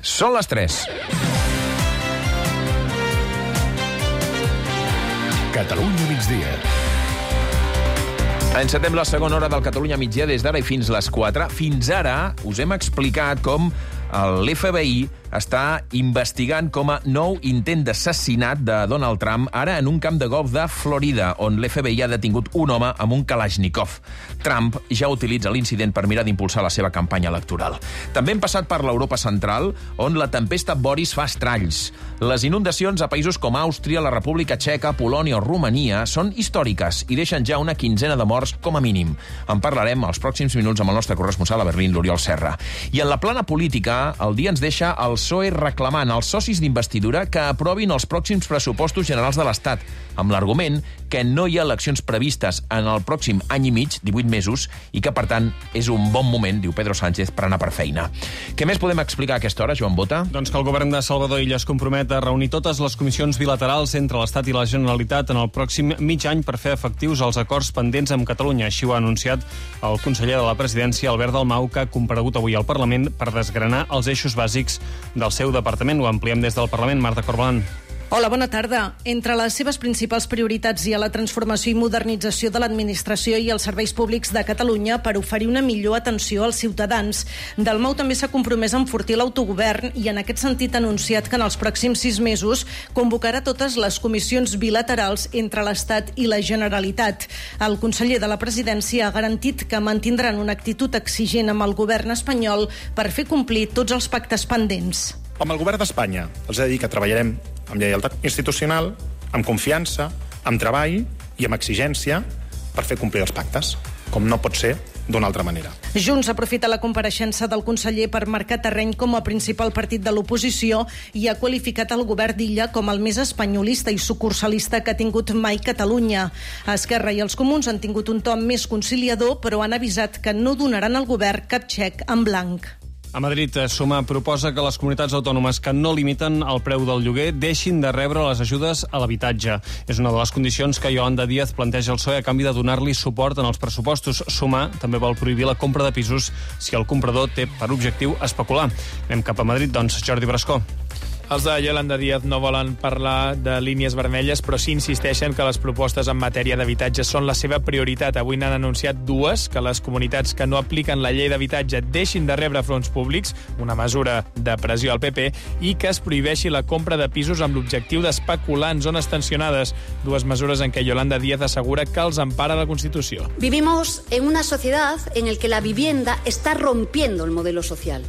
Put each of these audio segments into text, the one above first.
Són les 3. Catalunya migdia. Encetem la segona hora del Catalunya migdia des d'ara i fins les 4. Fins ara us hem explicat com l'FBI està investigant com a nou intent d'assassinat de Donald Trump, ara en un camp de golf de Florida, on l'FBI ha detingut un home amb un Kalashnikov. Trump ja utilitza l'incident per mirar d'impulsar la seva campanya electoral. També hem passat per l'Europa central, on la tempesta Boris fa estralls. Les inundacions a països com Àustria, la República Txeca, Polònia o Romania són històriques i deixen ja una quinzena de morts com a mínim. En parlarem als pròxims minuts amb el nostre corresponsal a Berlín, l'Oriol Serra. I en la plana política, el dia ens deixa el PSOE reclamant als socis d'investidura que aprovin els pròxims pressupostos generals de l'Estat, amb l'argument que no hi ha eleccions previstes en el pròxim any i mig, 18 mesos, i que, per tant, és un bon moment, diu Pedro Sánchez, per anar per feina. Què més podem explicar a aquesta hora, Joan Bota? Doncs que el govern de Salvador Illa es compromet a reunir totes les comissions bilaterals entre l'Estat i la Generalitat en el pròxim mig any per fer efectius els acords pendents amb Catalunya. Així ho ha anunciat el conseller de la Presidència, Albert Dalmau, que ha comparegut avui al Parlament per desgranar els eixos bàsics del seu departament. Ho ampliem des del Parlament. Marta Corbalan. Hola, bona tarda. Entre les seves principals prioritats hi ha la transformació i modernització de l'administració i els serveis públics de Catalunya per oferir una millor atenció als ciutadans. Dalmau també s'ha compromès a enfortir l'autogovern i en aquest sentit ha anunciat que en els pròxims 6 mesos convocarà totes les comissions bilaterals entre l'Estat i la Generalitat. El conseller de la Presidència ha garantit que mantindran una actitud exigent amb el govern espanyol per fer complir tots els pactes pendents. Amb el govern d'Espanya els he de dir que treballarem amb lleialtat institucional, amb confiança, amb treball i amb exigència per fer complir els pactes, com no pot ser d'una altra manera. Junts aprofita la compareixença del conseller per marcar terreny com a principal partit de l'oposició i ha qualificat el govern d'Illa com el més espanyolista i sucursalista que ha tingut mai Catalunya. Esquerra i els Comuns han tingut un to més conciliador, però han avisat que no donaran al govern cap xec en blanc. A Madrid, Sumar proposa que les comunitats autònomes que no limiten el preu del lloguer deixin de rebre les ajudes a l'habitatge. És una de les condicions que Yolanda Díaz planteja al PSOE a canvi de donar-li suport en els pressupostos. Sumar també vol prohibir la compra de pisos si el comprador té per objectiu especular. Anem cap a Madrid, doncs, Jordi Brascó. Els de Yolanda Díaz no volen parlar de línies vermelles, però sí insisteixen que les propostes en matèria d'habitatge són la seva prioritat. Avui n'han anunciat dues, que les comunitats que no apliquen la llei d'habitatge deixin de rebre fons públics, una mesura de pressió al PP, i que es prohibeixi la compra de pisos amb l'objectiu d'especular en zones tensionades. Dues mesures en què Yolanda Díaz assegura que els empara la Constitució. Vivimos en una sociedad en la que la vivienda está rompiendo el modelo social.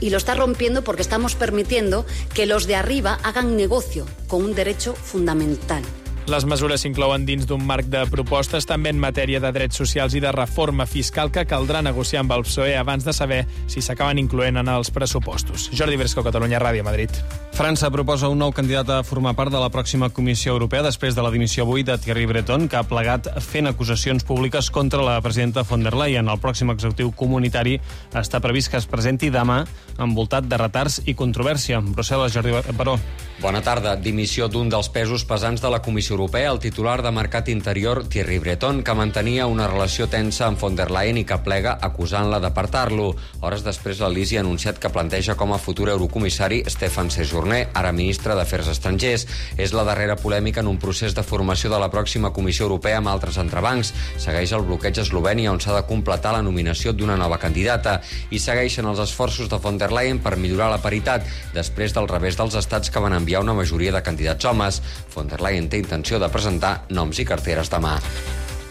Y lo está rompiendo porque estamos permitiendo que los de arriba hagan negocio con un derecho fundamental. Les mesures s'inclouen dins d'un marc de propostes també en matèria de drets socials i de reforma fiscal que caldrà negociar amb el PSOE abans de saber si s'acaben incloent en els pressupostos. Jordi Bresco, Catalunya Ràdio, Madrid. França proposa un nou candidat a formar part de la pròxima Comissió Europea després de la dimissió avui de Thierry Breton, que ha plegat fent acusacions públiques contra la presidenta von der Leyen. El pròxim executiu comunitari està previst que es presenti demà envoltat de retards i controvèrsia. Brussel·les, Jordi Baró. Bona tarda. Dimissió d'un dels pesos pesants de la Comissió Europea, el titular de Mercat Interior, Thierry Breton, que mantenia una relació tensa amb von der Leyen i que plega acusant-la d'apartar-lo. Hores després, l'Elisi ha anunciat que planteja com a futur eurocomissari Stéphane Séjourné, ara ministre d'Afers Estrangers. És la darrera polèmica en un procés de formació de la pròxima Comissió Europea amb altres entrebancs. Segueix el bloqueig a Eslovènia, on s'ha de completar la nominació d'una nova candidata. I segueixen els esforços de von der Leyen per millorar la paritat, després del revés dels estats que van enviar una majoria de candidats homes. Von der Leyen té intenció de presentar noms i carteres demà.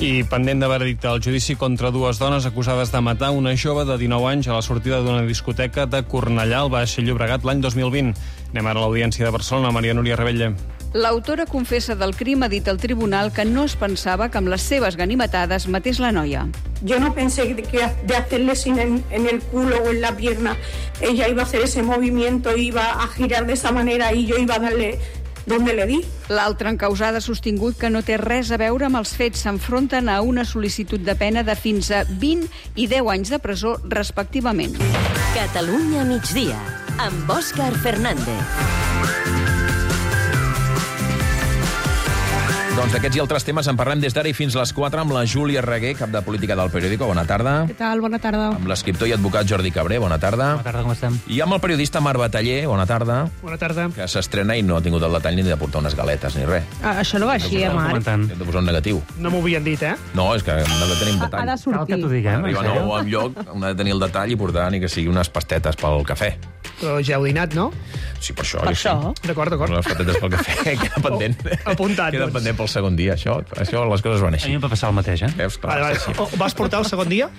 I pendent de veredicte el judici contra dues dones acusades de matar una jove de 19 anys a la sortida d'una discoteca de Cornellà al Baix Llobregat l'any 2020. Anem ara a l'Audiència de Barcelona, Maria Núria Rebella. L'autora confessa del crim ha dit al tribunal que no es pensava que amb les seves ganimetades matés la noia. Yo no pensé que de hacerle sin en el culo o en la pierna ella iba a hacer ese movimiento, iba a girar de esa manera y yo iba a darle donde le di. L'altra encausada ha sostingut que no té res a veure amb els fets. S'enfronten a una sol·licitud de pena de fins a 20 i 10 anys de presó, respectivament. Catalunya migdia, amb Òscar Fernández. Doncs d'aquests i altres temes en parlem des d'ara i fins les 4 amb la Júlia Reguer, cap de política del Periódico. Bona tarda. Què tal? Bona tarda. Amb l'escriptor i advocat Jordi Cabré. Bona tarda. Bona tarda, com estem? I amb el periodista Marc Bataller. Bona tarda. Bona tarda. Que s'estrena i no ha tingut el detall ni de portar unes galetes ni res. Això no va així, Marc? Hem de posar un negatiu. No m'ho havien dit, No, és que hem de tenir un detall. Ha de sortir. Cal que t'ho diguem. Arriba nou al lloc, hem de tenir el detall i portar ni que sigui unes pastetes pel cafè. Però ja heu dinat, no? Sí, per això. Per això? D'acord. Les pastetes pel cafè queda pendent. Apuntat, Queda pendent pel segon dia, això les coses van A així. mi em va passar el mateix, Veus? Clar, Vale. sí. Vas portar el segon dia?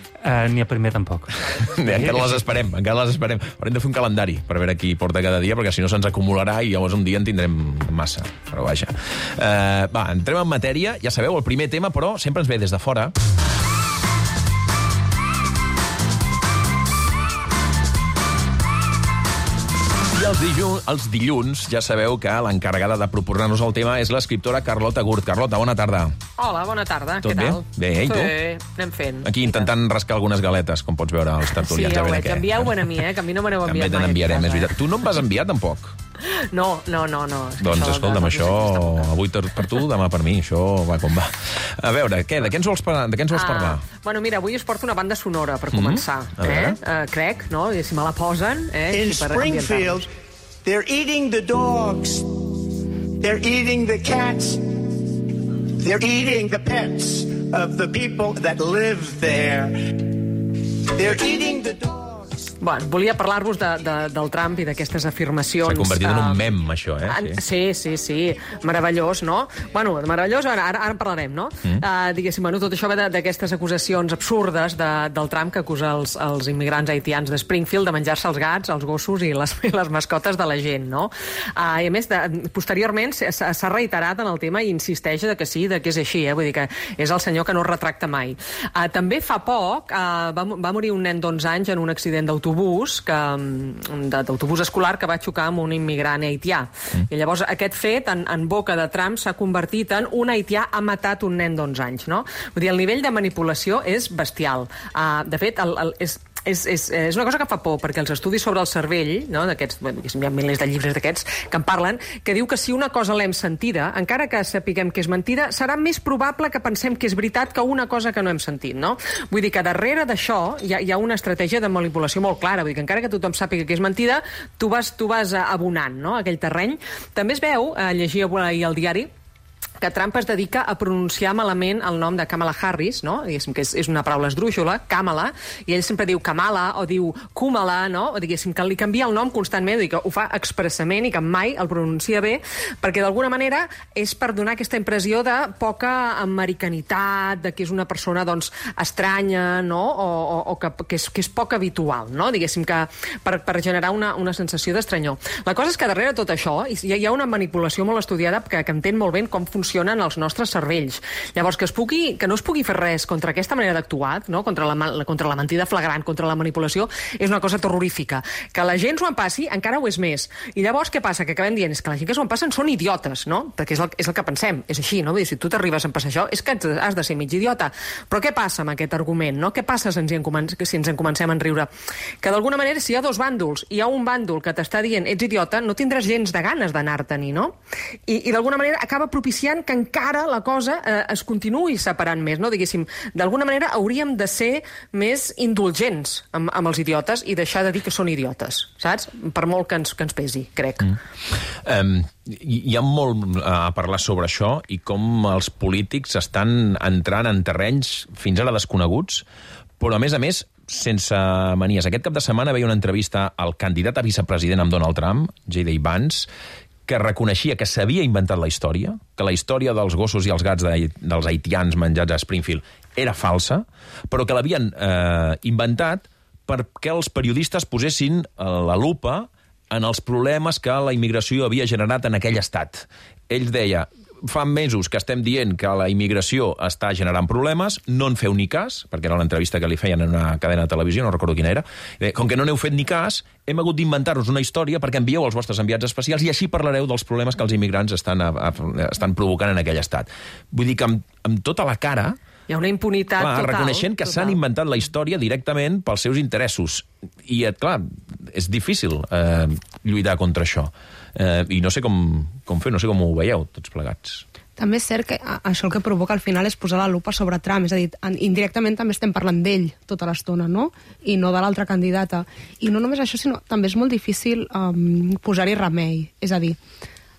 Ni a primer tampoc. Encara les esperem. Haurem de fer un calendari per veure qui porta cada dia, perquè si no se'ns acumularà i llavors un dia en tindrem massa. Però vaja. Entrem en matèria. Ja sabeu, el primer tema, però sempre ens ve des de fora. I els dilluns ja sabeu que l'encarregada de proposar-nos el tema és l'escriptora Carlota Gurt. Carlota, bona tarda. Hola, bona tarda. Tot Què tal? Bé, i tu? Sí, anem fent. Aquí intentant rascar algunes galetes, com pots veure als tertulians. Sí, ja ho veure veig. què. Envieu-ho a mi, que a mi no me n'heu També enviat te mai. n'enviarem, és veritat. Tu no em vas enviar, tampoc? No. Doncs escolta'm, això avui per tu, demà per mi, això va com va. A veure, què? De què ens vols parlar? Bueno, mira, avui us porto una banda sonora, per començar. A veure. Crec, no? I si me la posen... In Springfield, they're eating the dogs. They're eating the cats. They're eating the pets of the people that live there. They're eating the dogs. Bueno, volia parlar-vos del Trump i d'aquestes afirmacions. S'ha convertit en un mem, això, Sí. Meravellós, no? Bueno, meravellós, ara en parlarem, no? Diguéssim, tot això ve d'aquestes acusacions absurdes del Trump que acusa els immigrants haitians de Springfield de menjar-se els gats, els gossos i les mascotes de la gent, no? I a més, posteriorment s'ha reiterat en el tema i insisteix que sí, que és així, vull dir que és el senyor que no es retracta mai. També fa poc va morir un nen d'11 anys en un accident d'autobús escolar que va xocar amb un immigrant haitià. I llavors aquest fet, en boca de Trump, s'ha convertit en un haitià ha matat un nen d'11 anys, no? Vull dir, el nivell de manipulació és bestial. De fet, és una cosa que fa por, perquè els estudis sobre el cervell, no, d'aquests, hi ha milers de llibres d'aquests que en parlen, que diu que si una cosa l'hem sentida, encara que sapiguem que és mentida, serà més probable que pensem que és veritat que una cosa que no hem sentit, no? Vull dir que darrere d'això hi ha una estratègia de manipulació molt clara, vull dir que encara que tothom sàpiga que és mentida, tu vas abonant, no?, aquell terreny. També es veu, llegia ahir al diari, que Trump es dedica a pronunciar malament el nom de Kamala Harris, no? Diguéssim que és una paraula esdrúixola, Kamala, i ell sempre diu Kamala o diu Kumala, no? O diguéssim que li canvia el nom constantment, i que ho fa expressament i que mai el pronuncia bé, perquè d'alguna manera és per donar aquesta impressió de poca americanitat, de que és una persona, doncs, estranya, no? O que és poc habitual, no? Diguéssim que per generar una sensació d'estranyor. La cosa és que darrere tot això hi ha una manipulació molt estudiada que entén molt bé com funcionen els nostres cervells. Llavors, que no es pugui fer res contra aquesta manera d'actuar, no? contra la mentida flagrant, contra la manipulació, és una cosa terrorífica. Que la gent s'ho empassi encara ho és més. I llavors què passa? Que acabem dient és que la gent que s'ho empassen són idiotes, no? Perquè és el que pensem, és així, no? Vull dir, si tu t'arribes a empassar això, és que has de ser mig idiota. Però què passa amb aquest argument, no? Què passa si ens en comencem a enriure? Que d'alguna manera, si hi ha dos bàndols, i hi ha un bàndol que t'està dient ets idiota, no tindràs gens de ganes d'anar-te'n-hi, no? I d'alguna manera acaba propiciant que encara la cosa es continuï separant més, no? Diguéssim, d'alguna manera hauríem de ser més indulgents amb els idiotes i deixar de dir que són idiotes, saps? Per molt que ens pesi, crec. Hi ha molt a parlar sobre això i com els polítics estan entrant en terrenys fins ara desconeguts, però a més, sense manies. Aquest cap de setmana veia una entrevista al candidat a vicepresident amb Donald Trump, J.D. Vance, que reconeixia que s'havia inventat la història, que la història dels gossos i els gats dels haitians menjats a Springfield era falsa, però que l'havien inventat perquè els periodistes posessin la lupa en els problemes que la immigració havia generat en aquell estat. Ell deia, fa mesos que estem dient que la immigració està generant problemes, no en feu ni cas, perquè era l'entrevista que li feien en una cadena de televisió, no recordo quina era, com que no n'heu fet ni cas, hem hagut d'inventar-nos una història perquè envieu els vostres enviats especials i així parlareu dels problemes que els immigrants estan provocant en aquell estat. Vull dir que amb tota la cara... Hi ha una impunitat total. Reconeixent que s'han inventat la història directament pels seus interessos. I, clar, és difícil lluitar contra això. I no sé com fer, no sé com ho veieu, tots plegats. També és cert que això el que provoca al final és posar la lupa sobre Trump, és a dir, indirectament també estem parlant d'ell tota l'estona, no? I no de l'altra candidata. I no només això, sinó també és molt difícil posar-hi remei. És a dir,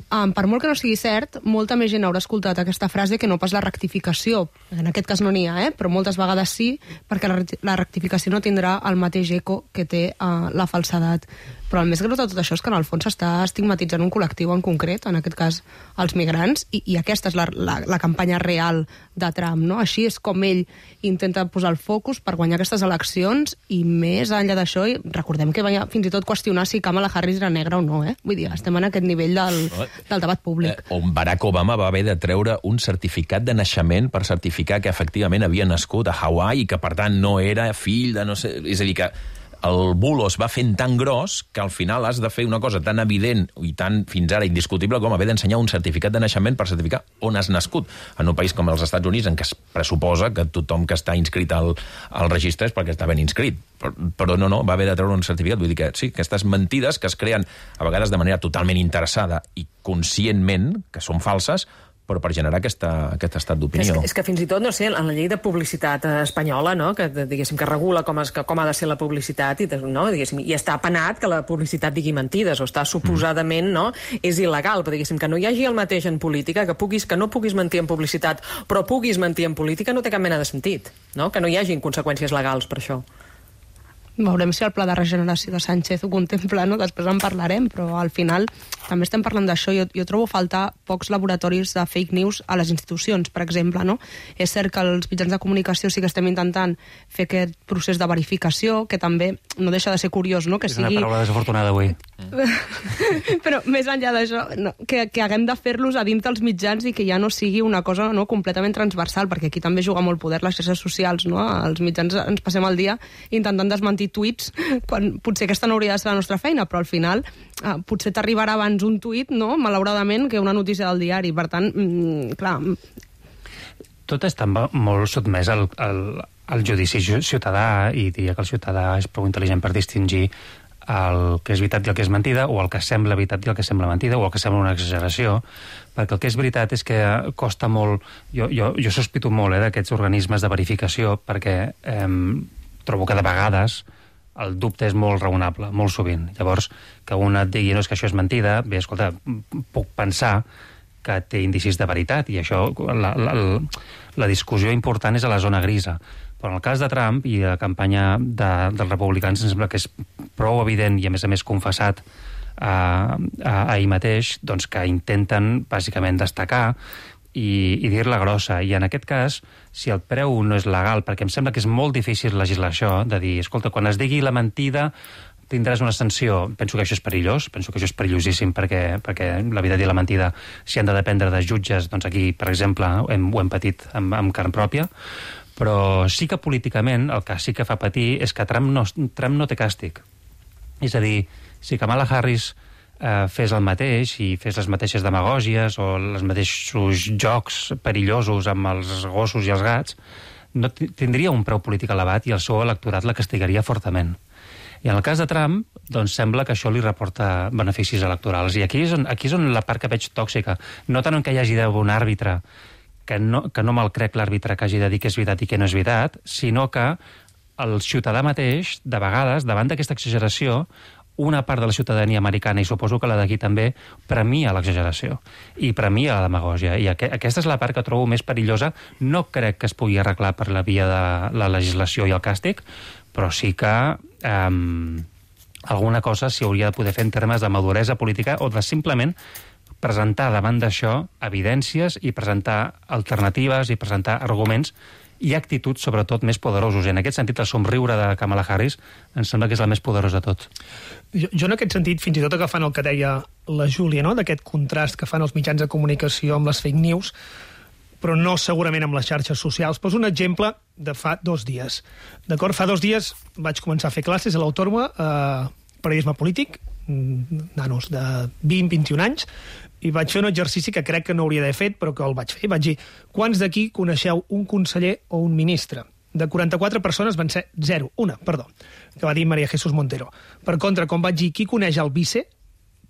per molt que no sigui cert, molta més gent haurà escoltat aquesta frase que no pas la rectificació. En aquest cas no n'hi ha, però moltes vegades sí, perquè la rectificació no tindrà el mateix eco que té la falsedat. Però el més greu de tot això és que en el fons s'està estigmatitzant un col·lectiu en concret, en aquest cas els migrants, i aquesta és la campanya real de Trump, no? Així és com ell intenta posar el focus per guanyar aquestes eleccions, i més enllà d'això, recordem que va fins i tot qüestionar si Kamala Harris era negra o no, Vull dir, estem en aquest nivell del debat públic. On Barack Obama va haver de treure un certificat de naixement per certificar que efectivament havia nascut a Hawaii i que, per tant, no era fill de no sé... És a dir, que el bulo es va fent tan gros que al final has de fer una cosa tan evident i tan fins ara indiscutible com haver d'ensenyar un certificat de naixement per certificar on has nascut. En un país com els Estats Units, en què es pressuposa que tothom que està inscrit al registre és perquè està ben inscrit. Però no, va haver de treure un certificat. Vull dir que sí, aquestes mentides que es creen a vegades de manera totalment interessada i conscientment, que són falses, però per generar aquest estat d'opinió. És que fins i tot, no sé, en la llei de publicitat espanyola, no?, que diguéssim que regula com ha de ser la publicitat, no?, diguéssim, i està penat que la publicitat digui mentides, o està suposadament, no?, és il·legal, però diguéssim que no hi hagi el mateix en política, que no puguis mentir en publicitat, però puguis mentir en política, no té cap mena de sentit, no?, que no hi hagi conseqüències legals per això. Veurem si el pla de regeneració de Sánchez ho contempla, no? Després en parlarem, però al final també estem parlant d'això. Jo trobo faltar pocs laboratoris de fake news a les institucions, per exemple, no? És cert que els mitjans de comunicació sí que estem intentant fer aquest procés de verificació, que també no deixa de ser curiós, no? Que és una paraula desafortunada avui. Però més enllà d'això, no, que haguem de fer-los a dins dels mitjans i que ja no sigui una cosa completament transversal, perquè aquí també juga molt poder les xarxes socials, no? Els mitjans ens passem el dia intentant desmentir tuits, quan potser aquesta no hauria de ser la nostra feina, però al final potser t'arribarà abans un tuit, no?, malauradament, que una notícia del diari. Per tant, clar... Tot està molt sotmès al judici ciutadà, i diria que el ciutadà és prou intel·ligent per distingir el que és veritat i el que és mentida, o el que sembla veritat i el que sembla mentida, o el que sembla una exageració, perquè el que és veritat és que costa molt... Jo sospito molt d'aquests organismes de verificació, perquè trobo que de vegades el dubte és molt raonable, molt sovint. Llavors, que un et digui no, és que això és mentida, bé, escolta, puc pensar que té indicis de veritat, i això, la discussió important és a la zona grisa. Però en el cas de Trump i la campanya dels republicans, em sembla que és prou evident i, a més confessat ahir mateix, doncs que intenten, bàsicament, destacar i dir-la grossa. I en aquest cas, si el preu no és legal, perquè em sembla que és molt difícil legislar això, de dir, escolta, quan es digui la mentida tindràs una sanció. Penso que això és perillós, penso que això és perillosíssim, perquè la veritat i la mentida, si han de dependre de jutges, doncs aquí, per exemple, ho hem patit amb carn pròpia, però sí que políticament el que sí que fa patir és que Trump no té càstig. És a dir, si Kamala Harris fes el mateix i fes les mateixes demagògies o els mateixos jocs perillosos amb els gossos i els gats, no tindria un preu polític elevat i el seu electorat la castigaria fortament. I en el cas de Trump, doncs sembla que això li reporta beneficis electorals. I aquí és on la part que veig tòxica. No tant en què hi hagi d'haver un àrbitre, que no me'l crec l'àrbitre que hagi de dir que és veritat i que no és veritat, sinó que el ciutadà mateix, de vegades, davant d'aquesta exageració, una part de la ciutadania americana, i suposo que la d'aquí també, premia l'exageració i premia la demagògia. I aquesta és la part que trobo més perillosa. No crec que es pugui arreglar per la via de la legislació i el càstig, però sí que alguna cosa s'hi hauria de poder fer en termes de maduresa política o de simplement presentar davant d'això evidències i presentar alternatives i presentar arguments i actituds, sobretot, més poderosos. I en aquest sentit, el somriure de Kamala Harris em sembla que és la més poderosa de tot. Jo en aquest sentit, fins i tot agafant el que deia la Júlia, no?, d'aquest contrast que fan els mitjans de comunicació amb les fake news, però no segurament amb les xarxes socials. Poso un exemple de fa 2 dies. D'acord? Fa 2 dies vaig començar a fer classes a l'Autònoma, periodisme polític, nanos de 20-21 anys, i vaig fer un exercici que crec que no hauria d'haver fet, però que el vaig fer. Vaig dir, quants d'aquí coneixeu un conseller o un ministre? De 44 persones van ser 0, una, perdó, que va dir María Jesús Montero. Per contra, quan vaig dir qui coneix el vice,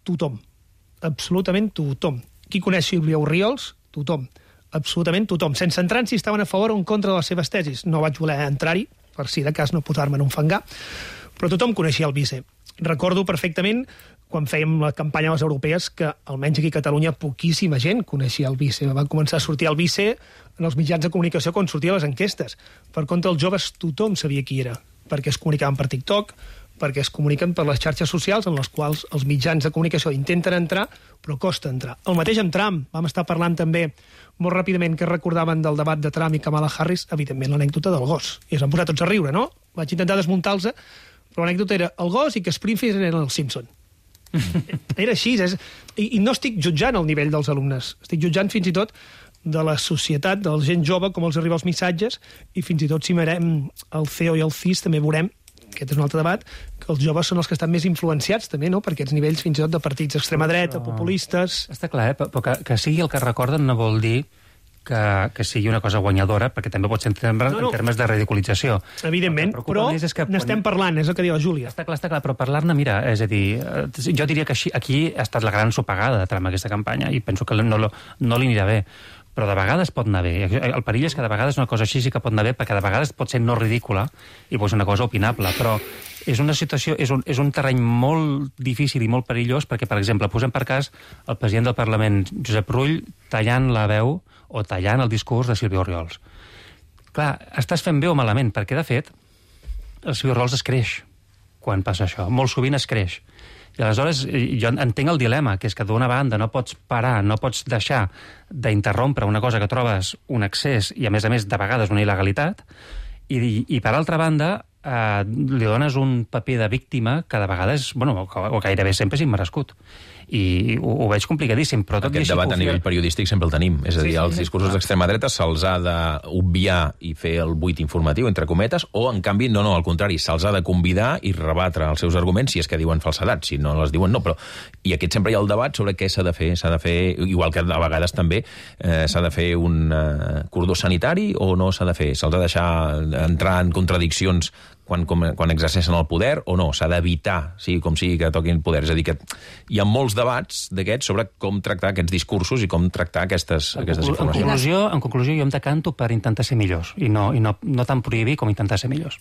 tothom. Absolutament tothom. Qui coneix Sílvia Orriols? tothom, absolutament tothom, sense entrar en si estaven a favor o en contra de les seves tesis. No vaig voler entrar-hi, per si de cas no posar-me en un fangar, però tothom coneixia el vice. Recordo perfectament, quan fèiem la campanya a les europees, que almenys aquí a Catalunya poquíssima gent coneixia el vice. Va començar a sortir el vice en els mitjans de comunicació quan sortia les enquestes. Per contra, els joves tothom sabia qui era, perquè es comunicaven per TikTok, perquè es comuniquen per les xarxes socials en les quals els mitjans de comunicació intenten entrar, però costa entrar. El mateix amb Trump. Vam estar parlant també molt ràpidament que recordaven del debat de Trump i Kamala Harris, evidentment l'anècdota del gos. I es van posar tots a riure, no? Vaig intentar desmuntar-los, però l'anècdota era el gos i que Springfield eren els Simpson. Era així. I no estic jutjant el nivell dels alumnes. Estic jutjant fins i tot de la societat, de la gent jove, com els arriba els missatges, i fins i tot si mirem el CEO i el CIS també veurem, aquest és un altre debat, que els joves són els que estan més influenciats també, no?, per aquests nivells fins i tot de partits d'extrema dreta, populistes... Està clar, però que sigui el que recorden no vol dir que sigui una cosa guanyadora, perquè també pot ser en termes de ridiculització. Evidentment, però n'estem parlant, és el que diu la Júlia. Està clar, però parlar-ne, mira, és a dir, jo diria que aquí ha estat la gran sopegada de Trump aquesta campanya, i penso que no li anirà bé. Però de vegades pot anar bé. El perill és que de vegades una cosa així sí que pot anar bé, perquè de vegades pot ser no ridícula i pot ser una cosa opinable, però és una situació, és un terreny molt difícil i molt perillós, perquè, per exemple, posem per cas el president del Parlament, Josep Rull, tallant la veu o tallant el discurs de Sílvia Orriols. Clar, estàs fent bé o malament, perquè, de fet, el Sílvia Orriols es creix quan passa això. Molt sovint es creix. I aleshores jo entenc el dilema, que és que d'una banda no pots parar, no pots deixar d'interrompre una cosa que trobes un excés i, a més, de vegades una il·legalitat, i per altra banda, li dones un paper de víctima que de vegades, o gairebé sempre és immerescut. I ho veig complicadíssim, però tot aquest debat a nivell periodístic sempre el tenim. És a dir, els discursos d'extrema dreta se'ls ha d'obviar i fer el buit informatiu, entre cometes, o, en canvi, no, al contrari, se'ls ha de convidar i rebatre els seus arguments si és que diuen falsedats, si no les diuen no. Però, i aquest sempre hi ha el debat sobre què s'ha de fer. S'ha de fer, igual que a vegades també, s'ha de fer un cordó sanitari o no s'ha de fer? Se'ls ha de deixar entrar en contradiccions quan exerceixen el poder o no? S'ha d'evitar, sigui com sigui, que toquin el poder. És a dir, que hi ha molts debats d'aquests sobre com tractar aquests discursos i com tractar aquestes informacions. En conclusió, jo em decanto per intentar ser millors i no tant prohibir com intentar ser millors.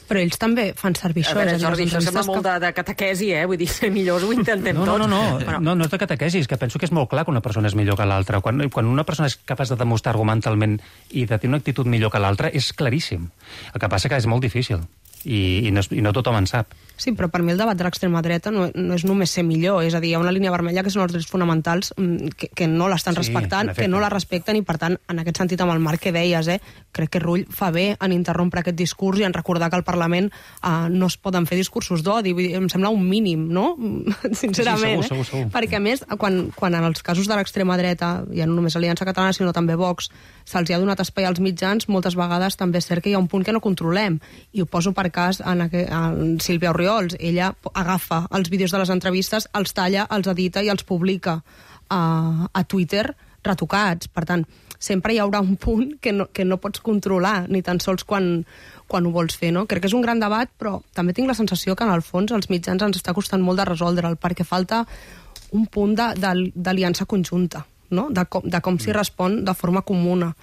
Però ells també fan servir això. A veure, Jordi, això sembla molt de catequesi, Vull dir, ser millors ho intentem tots. No és de catequesi, és que penso que és molt clar que una persona és millor que l'altra. Quan una persona és capaç de demostrar argumentalment i de tenir una actitud millor que l'altra, és claríssim. El que passa que és molt difícil. I no tothom en sap. Sí, però per mi el debat de l'extrema dreta no és només ser millor, és a dir, hi ha una línia vermella que són els drets fonamentals que no l'estan respectant, que no la respecten, i per tant, en aquest sentit, amb el marc que deies, crec que Rull fa bé en interrompre aquest discurs i en recordar que al Parlament no es poden fer discursos d'odi, em sembla un mínim, no? Sincerament, sí, segur. Perquè, a més, quan en els casos de l'extrema dreta, ja no només Aliança Catalana, sinó també Vox, se'ls ha donat espai als mitjans, moltes vegades també és cert que hi ha un punt que no controlem, i ho poso per cas en Sílvia Orriols. Ella agafa els vídeos de les entrevistes, els talla, els edita i els publica a Twitter retocats. Per tant, sempre hi haurà un punt que no pots controlar, ni tan sols quan ho vols fer, no? Crec que és un gran debat, però també tinc la sensació que, en el fons, als mitjans ens està costant molt de resoldre'l, perquè falta un punt d'aliança conjunta, no? De com s'hi respon de forma comuna.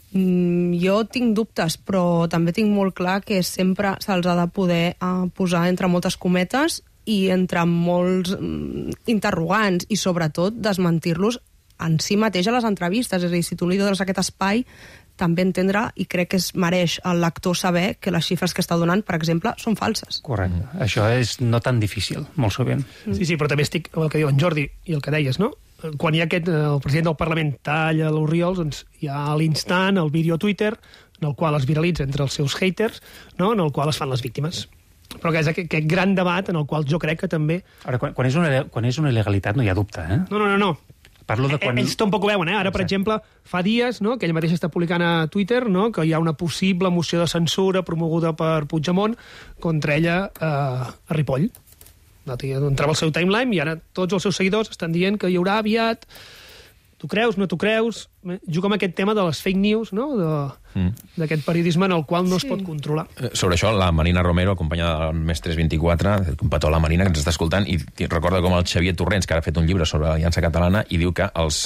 Jo tinc dubtes, però també tinc molt clar que sempre se'ls ha de poder posar entre moltes cometes i entre molts interrogants, i sobretot desmentir-los en si mateix a les entrevistes. És a dir, si tu li dones aquest espai, també entendre, i crec que es mereix el lector saber, que les xifres que està donant, per exemple, són falses. Correcte. Això és no tan difícil, molt sovint. Sí, però també estic amb el que diu en Jordi i el que deies, no? Quan hi ha el president del Parlament talla l'Orriols, doncs hi ha a l'instant el vídeo a Twitter, en el qual es viralitza entre els seus haters, no? En el qual es fan les víctimes. Però que és aquest gran debat en el qual jo crec que també... Ara, quan és una il·legalitat no hi ha dubte, No. Parlo de quan... Ells tampoc ho veuen, Ara, per exemple, fa dies, no?, que ell mateix està publicant a Twitter, no?, que hi ha una possible moció de censura promoguda per Puigdemont contra ella a Ripoll. Entrava al seu timeline i ara tots els seus seguidors estan dient que hi haurà aviat... Tu creus, no tu creus? Juga amb aquest tema de les fake news, no?, d'aquest periodisme en el qual no es pot controlar. Sobre això, la Marina Romero, acompanyada del Més 324, un petó a la Marina, que ens està escoltant, i recorda com el Xavier Torrents, que ara ha fet un llibre sobre l'Aliança Catalana, i diu que els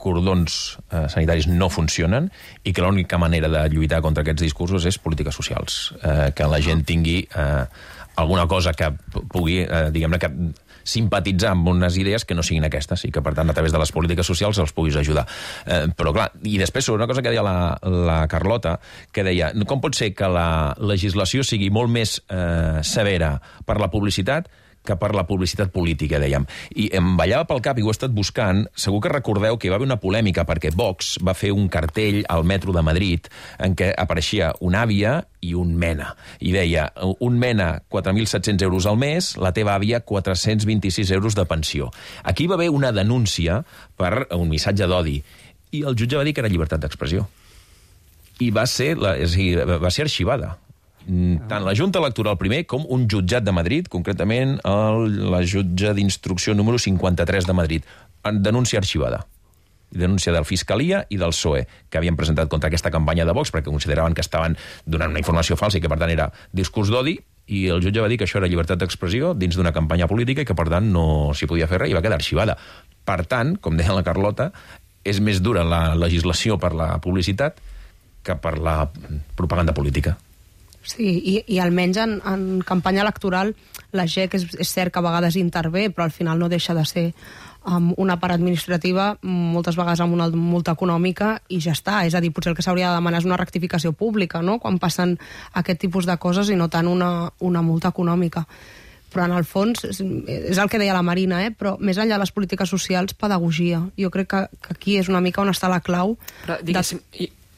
cordons sanitaris no funcionen i que l'única manera de lluitar contra aquests discursos és polítiques socials. Que la gent tingui alguna cosa que pugui, diguem-ne, que simpatitzar amb unes idees que no siguin aquestes i que, per tant, a través de les polítiques socials els puguis ajudar. Però, clar, i després sobre una cosa que deia la Carlota, que deia, com pot ser que la legislació sigui molt més severa per la publicitat que per la publicitat política, dèiem. I em ballava pel cap, i ho he estat buscant, segur que recordeu que hi va haver una polèmica perquè Vox va fer un cartell al metro de Madrid en què apareixia una àvia i un mena. I deia, un mena 4.700 euros al mes, la teva àvia 426 euros de pensió. Aquí va haver una denúncia per un missatge d'odi i el jutge va dir que era llibertat d'expressió. I va ser arxivada. Tant la Junta Electoral primer com un jutjat de Madrid, concretament la jutge d'instrucció número 53 de Madrid. Denúncia arxivada. Denúncia de la Fiscalia i del PSOE, que havien presentat contra aquesta campanya de Vox perquè consideraven que estaven donant una informació falsa i que, per tant, era discurs d'odi, i el jutge va dir que això era llibertat d'expressió dins d'una campanya política i que, per tant, no s'hi podia fer res i va quedar arxivada. Per tant, com deia la Carlota, és més dura la legislació per la publicitat que per la propaganda política. Sí, i almenys en campanya electoral la GEC és cert que a vegades intervé, però al final no deixa de ser una part administrativa, moltes vegades amb una multa econòmica, i ja està. És a dir, potser el que s'hauria de demanar és una rectificació pública, no?, quan passen aquest tipus de coses i no tant una multa econòmica. Però en el fons, és el que deia la Marina, però més enllà de les polítiques socials, pedagogia. Jo crec que aquí és una mica on està la clau. Però, diguéssim,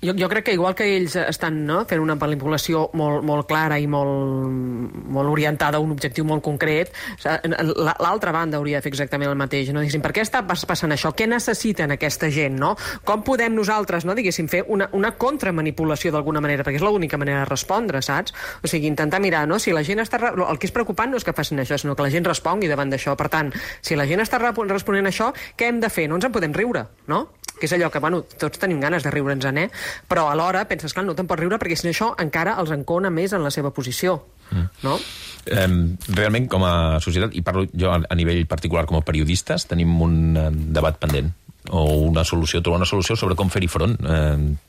jo crec que igual que ells estan fent una manipulació molt clara i molt orientada a un objectiu molt concret, l'altra banda hauria de fer exactament el mateix. Per què està passant això? Què necessiten aquesta gent? Com podem nosaltres fer una contramanipulació d'alguna manera? Perquè és l'única manera de respondre, saps? O sigui, intentar mirar, si la gent està... El que és preocupant no és que facin això, sinó que la gent respongui davant d'això. Per tant, si la gent està responent a això, què hem de fer? No ens en podem riure, no? Que és allò que, tots tenim ganes de riure'ns, però alhora penses, clar, no te'n pots riure perquè si no això encara els encona més en la seva posició, no? Realment, com a societat, i parlo jo a nivell particular com a periodistes, tenim un debat pendent, o trobar una solució sobre com fer-hi front,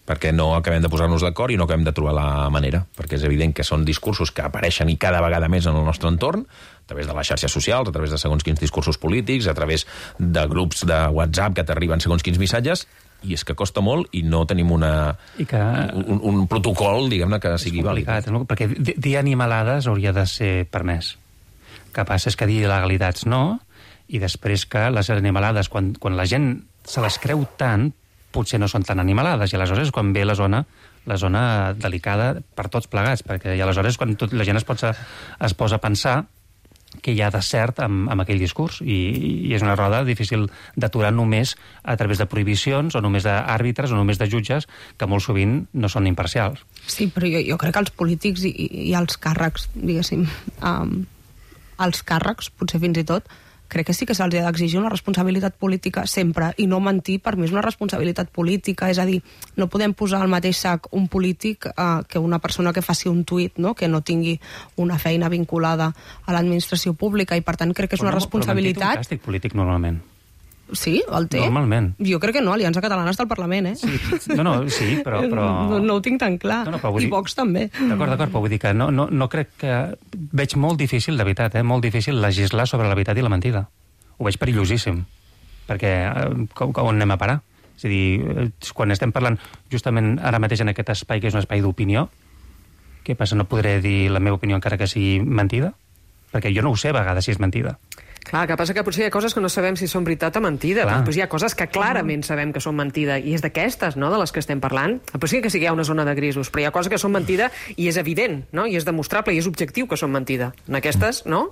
perquè no acabem de posar-nos d'acord i no acabem de trobar la manera, perquè és evident que són discursos que apareixen i cada vegada més en el nostre entorn, a través de les xarxes socials, a través de segons quins discursos polítics, a través de grups de WhatsApp que t'arriben segons quins missatges, i és que costa molt i no tenim un protocol, diguem-ne, que sigui vàlid. Perquè dir animalades hauria de ser permès. El que passa és que dir il·legalitats no, i després que les animalades, quan la gent se les creu tant, potser no són tan animalades, i aleshores és quan ve la zona delicada per tots plegats, perquè aleshores quan la gent es posa a pensar que hi ha de cert amb aquell discurs, i és una roda difícil d'aturar només a través de prohibicions, o només d'àrbitres, o només de jutges, que molt sovint no són imparcials. Sí, però jo crec que els polítics i els càrrecs, diguéssim, els càrrecs, potser fins i tot, crec que sí que se'ls ha d'exigir una responsabilitat política sempre, i no mentir per mi és una responsabilitat política, és a dir, no podem posar al mateix sac un polític que una persona que faci un tuit, que no tingui una feina vinculada a l'administració pública, i per tant crec que és una responsabilitat... Però mentir té un càstig polític normalment. Sí, el té? Normalment. Jo crec que no, Aliança Catalana està al Parlament, Sí, sí, però... No ho tinc tan clar. I Vox també. D'acord, però vull dir que no crec que... Veig molt difícil, de veritat, molt difícil legislar sobre la veritat i la mentida. Ho veig perillosíssim. Perquè on anem a parar? És a dir, quan estem parlant justament ara mateix en aquest espai, que és un espai d'opinió, què passa? No podré dir la meva opinió encara que sigui mentida? Perquè jo no ho sé a vegades si és mentida. Clar, que passa que potser hi ha coses que no sabem si són veritat o mentida, però hi ha coses que clarament sabem que són mentida, i és d'aquestes, de les que estem parlant. Potser que sí que hi ha una zona de grisos, però hi ha coses que són mentida i és evident, i és demostrable, i és objectiu que són mentida. En aquestes, no?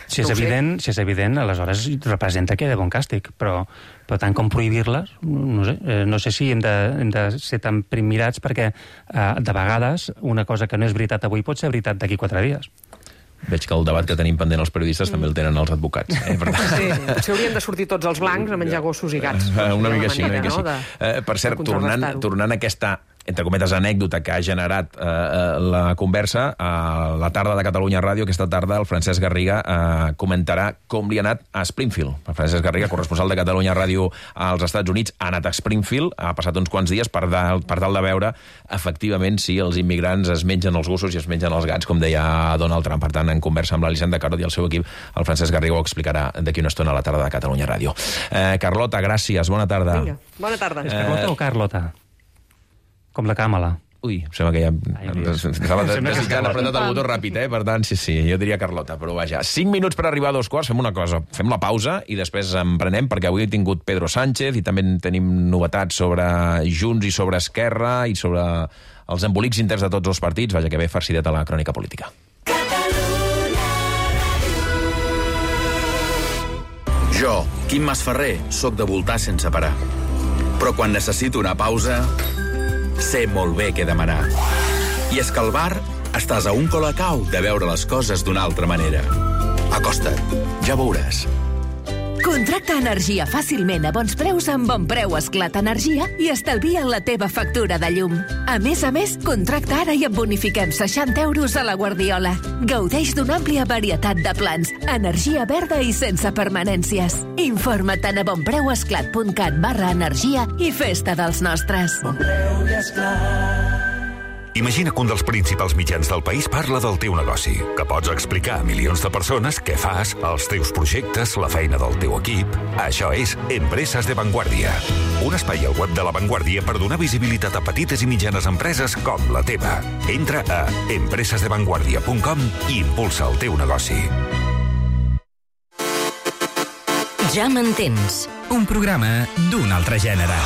Si és evident, aleshores representa que hi ha bon càstig, però tant com prohibir-les, no sé si hem de ser tan primmirats, perquè de vegades una cosa que no és veritat avui pot ser veritat d'aquí 4 dies. Veig que el debat que tenim pendent els periodistes també el tenen els advocats. Per tant... Sí, potser haurien de sortir tots els blancs a menjar gossos i gats. Una mica així. Per cert, tornant a aquesta entre cometes, anècdota que ha generat la conversa. A la tarda de Catalunya Ràdio, aquesta tarda, el Francesc Garriga comentarà com li ha anat a Springfield. El Francesc Garriga, corresponsal de Catalunya Ràdio als Estats Units, ha anat a Springfield, ha passat uns quants dies per tal de veure, efectivament, si els immigrants es mengen els gossos i es mengen els gats, com deia Donald Trump. Per tant, en conversa amb l'Elisenda Carod i el seu equip, el Francesc Garriga ho explicarà d'aquí una estona a la tarda de Catalunya Ràdio. Carlota, gràcies, bona tarda. Vinga, bona tarda. És Carlota o Carlota? Com la Càmala. Ui, em sembla que ja estava desitjant apretat el botó ràpid, per tant, sí, jo diria Carlota, però vaja. 5 minuts per arribar a 2:15, fem una cosa, fem la pausa i després en prenem, perquè avui he tingut Pedro Sánchez i també tenim novetats sobre Junts i sobre Esquerra i sobre els embolics interns de tots els partits. Vaja, que bé farcidet a la crònica política. Jo, Quim Masferrer, sóc de voltar sense parar. Però quan necessito una pausa, sé molt bé què demanar. I és que al bar estàs a un colacau de veure les coses d'una altra manera. Acosta't, ja veuràs. Contracta energia fàcilment a bons preus amb Bonpreu Esclat Energia i estalvia la teva factura de llum. A més, contracta ara i et bonifiquem 60 euros a la Guardiola. Gaudeix d'una àmplia varietat de plans, energia verda i sense permanències. Informa't a bonpreuesclat.cat/energia i festa dels nostres. Bonpreu i Esclat. Imagina que un dels principals mitjans del país parla del teu negoci, que pots explicar a milions de persones què fas, els teus projectes, la feina del teu equip. Això és Empreses de Vanguardia. Un espai al web de La Vanguardia per donar visibilitat a petites i mitjanes empreses com la teva. Entra a empresesdevanguardia.com i impulsa el teu negoci. Ja m'entens. Un programa d'un altre gènere.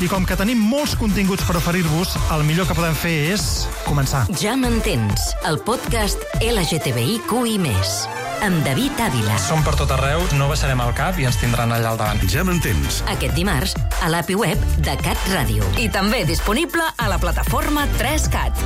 I com que tenim molts continguts per oferir-vos, el millor que podem fer és començar. Ja m'entens, el podcast LGTBIQI+, amb David Ávila. Som per tot arreu, no baixarem el cap i ens tindran allà al davant. Ja m'entens. Aquest dimarts, a l'API web de Cat Ràdio. I també disponible a la plataforma 3Cat.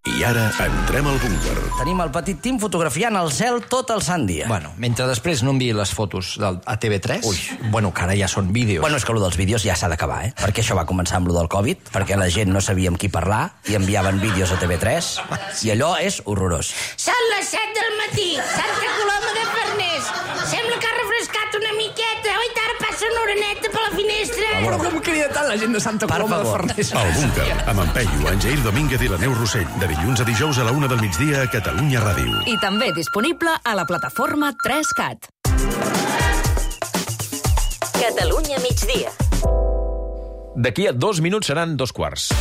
I ara entrem al búnquer. Tenim el petit Tim fotografiant el cel tot el sant dia. Bueno, mentre després no enviï les fotos a TV3... Ui, bueno, que ara ja són vídeos. Bueno, és que allò dels vídeos ja s'ha d'acabar, Perquè això va començar amb lo del Covid, perquè la gent no sabia amb qui parlar i enviaven vídeos a TV3, i allò és horrorós. Són les 7 del matí, Santa Coloma de Farners. Sembla que ha refrescat una miqueta. Oi, ara passa una oreneta per la finestra. Però com crida tant la gent de Santa Coloma de Farners? El búnquer, amb en Peyu, en Jair Domínguez i la Neus Rossell, de dilluns a dijous a la 1 del migdia a Catalunya Ràdio. I també disponible a la plataforma 3Cat. Catalunya migdia. D'aquí a 2 minuts seran 2:15.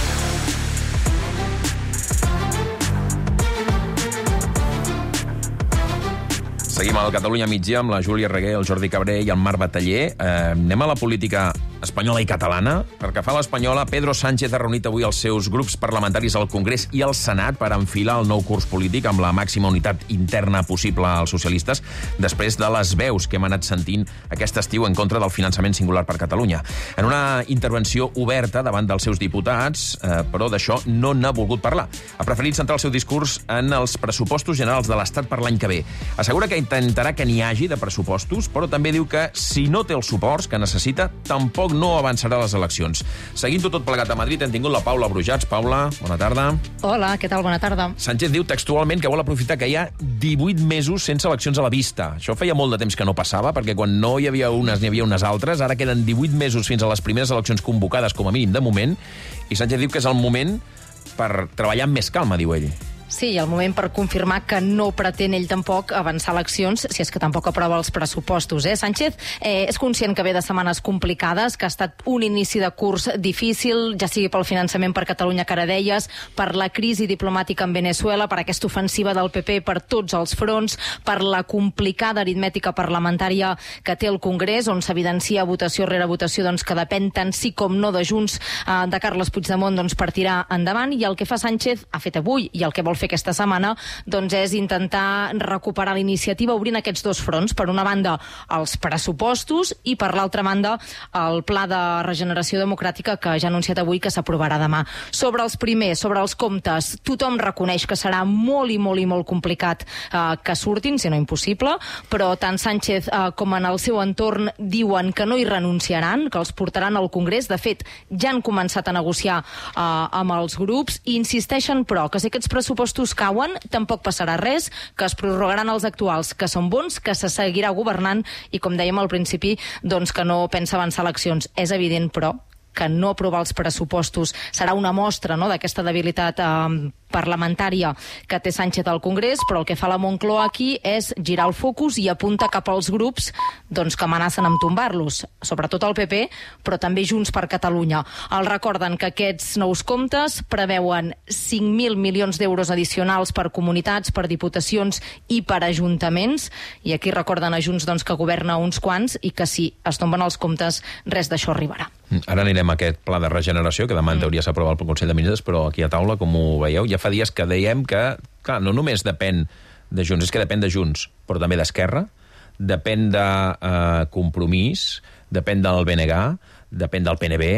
Seguim al Catalunya migdia amb la Júlia Reguer, el Jordi Cabré i el Marc Bataller. Anem a la política espanyola i catalana. Perquè fa l'espanyola, Pedro Sánchez ha reunit avui els seus grups parlamentaris al Congrés i al Senat per enfilar el nou curs polític amb la màxima unitat interna possible als socialistes, després de les veus que hem anat sentint aquest estiu en contra del finançament singular per Catalunya. En una intervenció oberta davant dels seus diputats, però d'això no n'ha volgut parlar. Ha preferit centrar el seu discurs en els pressupostos generals de l'Estat per l'any que ve. Assegura que intentarà que n'hi hagi de pressupostos, però també diu que si no té els suports que necessita, tampoc no avançarà a les eleccions. Seguint-ho tot plegat a Madrid, hem tingut la Paula Brujats. Paula, bona tarda. Hola, què tal? Bona tarda. Sánchez diu textualment que vol aprofitar que hi ha 18 mesos sense eleccions a la vista. Això feia molt de temps que no passava, perquè quan no hi havia unes n'hi havia unes altres, ara queden 18 mesos fins a les primeres eleccions convocades, com a mínim de moment, i Sánchez diu que és el moment per treballar amb més calma, diu ell. Sí, i el moment per confirmar que no pretén ell tampoc avançar eleccions, si és que tampoc aprova els pressupostos. Sánchez és conscient que ve de setmanes complicades, que ha estat un inici de curs difícil, ja sigui pel finançament per Catalunya, que ara deies, per la crisi diplomàtica en Venezuela, per aquesta ofensiva del PP per tots els fronts, per la complicada aritmètica parlamentària que té el Congrés, on s'evidencia votació rere votació doncs, que depèn tant sí com no de Junts de Carles Puigdemont per tirar endavant, i el que fa Sánchez, ha fet avui, i el que vol fer fer aquesta setmana doncs és intentar recuperar la iniciativa obrint aquests dos fronts. Per una banda, els pressupostos i per l'altra banda, el Pla de Regeneració Democràtica que ja ha anunciat avui que s'aprovarà demà. Sobre els primers, sobre els comptes, tothom reconeix que serà molt i molt complicat que surtin, si no impossible, però tant Sánchez com en el seu entorn diuen que no hi renunciaran, que els portaran al Congrés. De fet, ja han començat a negociar amb els grups i insisteixen, però, que si aquests pressupostos cauen, tampoc passarà res, que es prorrogaran els actuals, que són bons, que se seguirà governant i, com dèiem al principi, doncs que no pensa avançar eleccions. És evident, però, que no aprovar els pressupostos serà una mostra, no?, d'aquesta debilitat parlamentària que té Sánchez al Congrés, però el que fa la Moncloa aquí és girar el focus i apunta cap als grups doncs, que amenacen amb tombar-los, sobretot el PP, però també Junts per Catalunya. Els recorden que aquests nous comptes preveuen 5.000 milions d'euros addicionals per comunitats, per diputacions i per ajuntaments, i aquí recorden a Junts doncs, que governa uns quants i que si es tomben els comptes, res d'això arribarà. Ara anirem a aquest pla de regeneració, que demà en teoria s'aprova pel Consell de Ministres, però aquí a taula, com ho veieu, ja fa dies que dèiem que, clar, no només depèn de Junts, és que depèn de Junts, però també d'Esquerra, depèn de Compromís, depèn del BNG, depèn del PNB,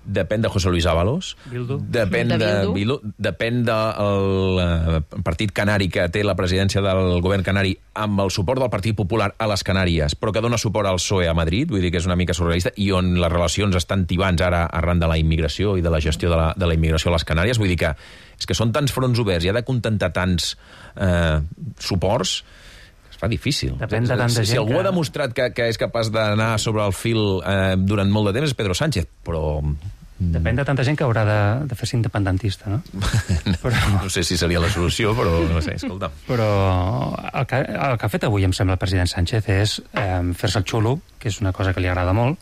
depèn de José Luis Ábalos, depèn de Bildu, depèn del partit canari que té la presidència del govern canari amb el suport del Partit Popular a les Canàries, però que dona suport al PSOE a Madrid, vull dir que és una mica surrealista, i on les relacions estan tibants ara arran de la immigració i de la gestió de la immigració a les Canàries. Vull dir que és que són tants fronts oberts i ha de contentar tants suports, fa difícil. Depèn de tanta gent. Si algú ha demostrat que és capaç d'anar sobre el fil durant molt de temps és Pedro Sánchez, però... Depèn de tanta gent que haurà de fer-se independentista, no? Però... No sé si seria la solució, però no sé, escolta. Però el que ha fet avui, em sembla, el president Sánchez és fer-se el xulo, que és una cosa que li agrada molt,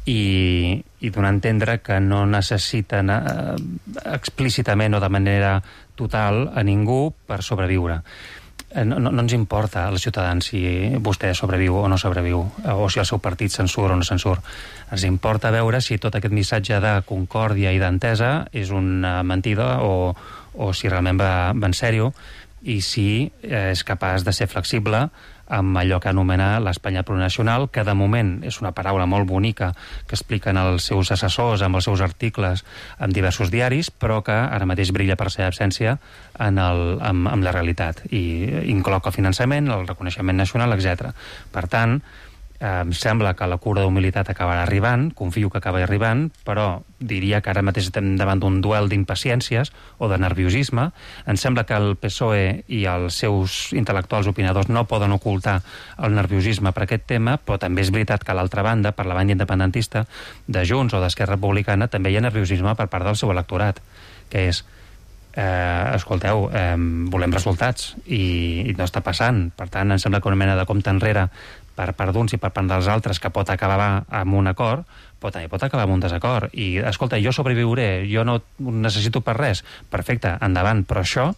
i donar a entendre que no necessiten explícitament o de manera total a ningú per sobreviure. No ens importa als ciutadans si vostè sobreviu o no sobreviu, o si el seu partit se'n surt o no se'n surt. Ens importa veure si tot aquest missatge de concòrdia i d'entesa és una mentida o si realment va en sèrio, i si és capaç de ser flexible amb allò que anomena l'Espanya plurinacional, que de moment és una paraula molt bonica que expliquen els seus assessors amb els seus articles en diversos diaris, però que ara mateix brilla per la seva absència amb la realitat, i inclou el finançament, el reconeixement nacional, etc. Per tant, em sembla que la cura d'humilitat acabarà arribant, confio que acaba arribant, però diria que ara mateix estem davant d'un duel d'impaciències o de nerviosisme. Em sembla que el PSOE i els seus intel·lectuals opinadors no poden ocultar el nerviosisme per aquest tema, però també és veritat que a l'altra banda, per la banda independentista de Junts o d'Esquerra Republicana, també hi ha nerviosisme per part del seu electorat, que és escolteu, volem resultats i no està passant. Per tant, em sembla que una mena de compte enrere per part d'uns i per part dels altres, que pot acabar amb un acord, però també pot acabar amb un desacord. I, escolta, jo sobreviuré, jo no necessito per res. Perfecte, endavant, però això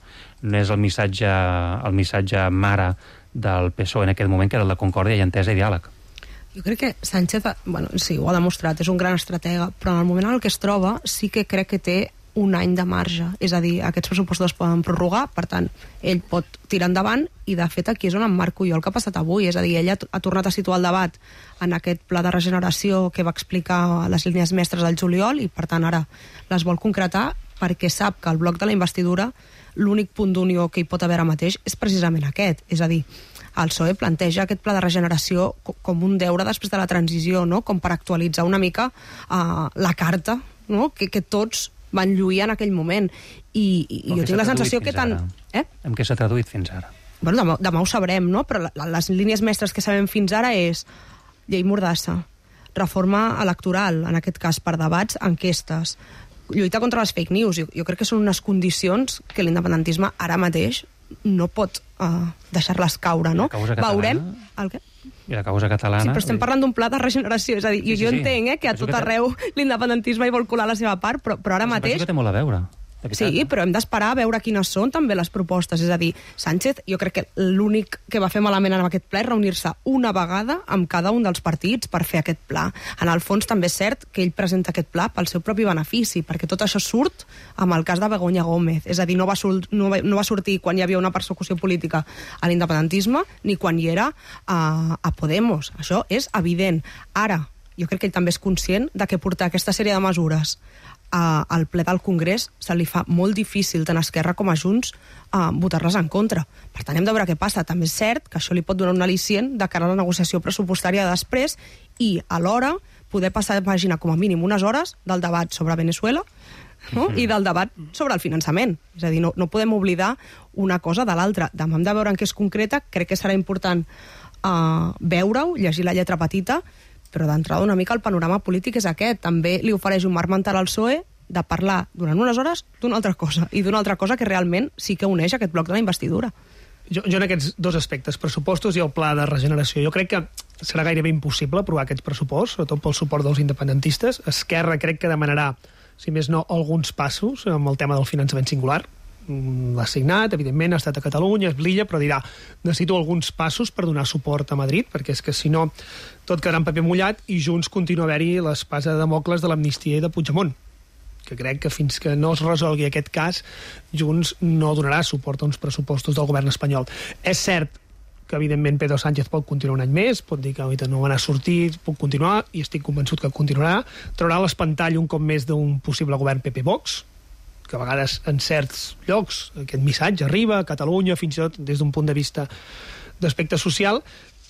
no és el missatge mare del PSOE en aquest moment, que era el de concòrdia i entesa i diàleg. Jo crec que Sánchez, sí, ho ha demostrat, és un gran estratega, però en el moment en el que es troba sí que crec que té un any de marge, és a dir, aquests pressupostos es poden prorrogar, per tant, ell pot tirar endavant, i de fet aquí és on emmarco jo el que ha passat avui, és a dir, ell ha tornat a situar el debat en aquest pla de regeneració que va explicar les línies mestres del juliol, i per tant ara les vol concretar, perquè sap que el bloc de la investidura, l'únic punt d'unió que hi pot haver ara mateix és precisament aquest, és a dir, el PSOE planteja aquest pla de regeneració com un deure després de la transició, no? Com per actualitzar una mica la carta, no? que tots van lluir en aquell moment, i jo tinc la sensació que tant... En què s'ha traduït fins ara? Bueno, demà ho sabrem, no? Però les línies mestres que sabem fins ara és llei Mordassa, reforma electoral, en aquest cas per debats, enquestes, lluita contra les fake news. Jo crec que són unes condicions que l'independentisme ara mateix no pot deixar-les caure, no? Veurem el què? I la causa catalana... Sí, però estem parlant d'un pla de regeneració, és a dir, jo entenc que a tot arreu l'independentisme hi vol colar la seva part, però ara mateix... Penso que té molt a veure. Sí, però hem d'esperar a veure quines són també les propostes. És a dir, Sánchez, jo crec que l'únic que va fer malament en aquest ple és reunir-se una vegada amb cada un dels partits per fer aquest pla. En el fons també és cert que ell presenta aquest pla pel seu propi benefici, perquè tot això surt amb el cas de Begoña Gómez. És a dir, no va sortir quan hi havia una persecució política a l'independentisme ni quan hi era a Podemos. Això és evident. Ara, jo crec que ell també és conscient de que portar aquesta sèrie de mesures al ple del Congrés se li fa molt difícil tant a Esquerra com a Junts votar-les en contra. Per tant, hem de veure què passa. També és cert que això li pot donar un al·licient de cara a la negociació pressupostària després i, alhora, poder passar a pàgina com a mínim unes hores del debat sobre Venezuela, no? I del debat sobre el finançament. És a dir, no podem oblidar una cosa de l'altra. Demà hem de veure en què és concreta. Crec que serà important veure-ho, llegir la lletra petita, però d'entrada una mica el panorama polític és aquest. També li ofereix un marc mental al PSOE de parlar durant unes hores d'una altra cosa, i d'una altra cosa que realment sí que uneix aquest bloc de la investidura. Jo en aquests dos aspectes, pressupostos i el pla de regeneració, jo crec que serà gairebé impossible aprovar aquests pressuposts, sobretot pel suport dels independentistes. Esquerra crec que demanarà, si més no, alguns passos amb el tema del finançament singular. L'ha signat, evidentment, ha estat a Catalunya, és l'illa, però dirà, necessito alguns passos per donar suport a Madrid, perquè és que si no tot quedarà en paper mullat i Junts continua a haver-hi l'espasa de Damocles de l'amnistia i de Puigdemont, que crec que fins que no es resolgui aquest cas, Junts no donarà suport a uns pressupostos del govern espanyol. És cert que, evidentment, Pedro Sánchez pot continuar un any més, pot dir que no van a sortir, pot continuar, i estic convençut que continuarà, traurà l'espantall un cop més d'un possible govern PP-Vox, que a vegades en certs llocs aquest missatge arriba a Catalunya, fins i tot des d'un punt de vista d'aspecte social,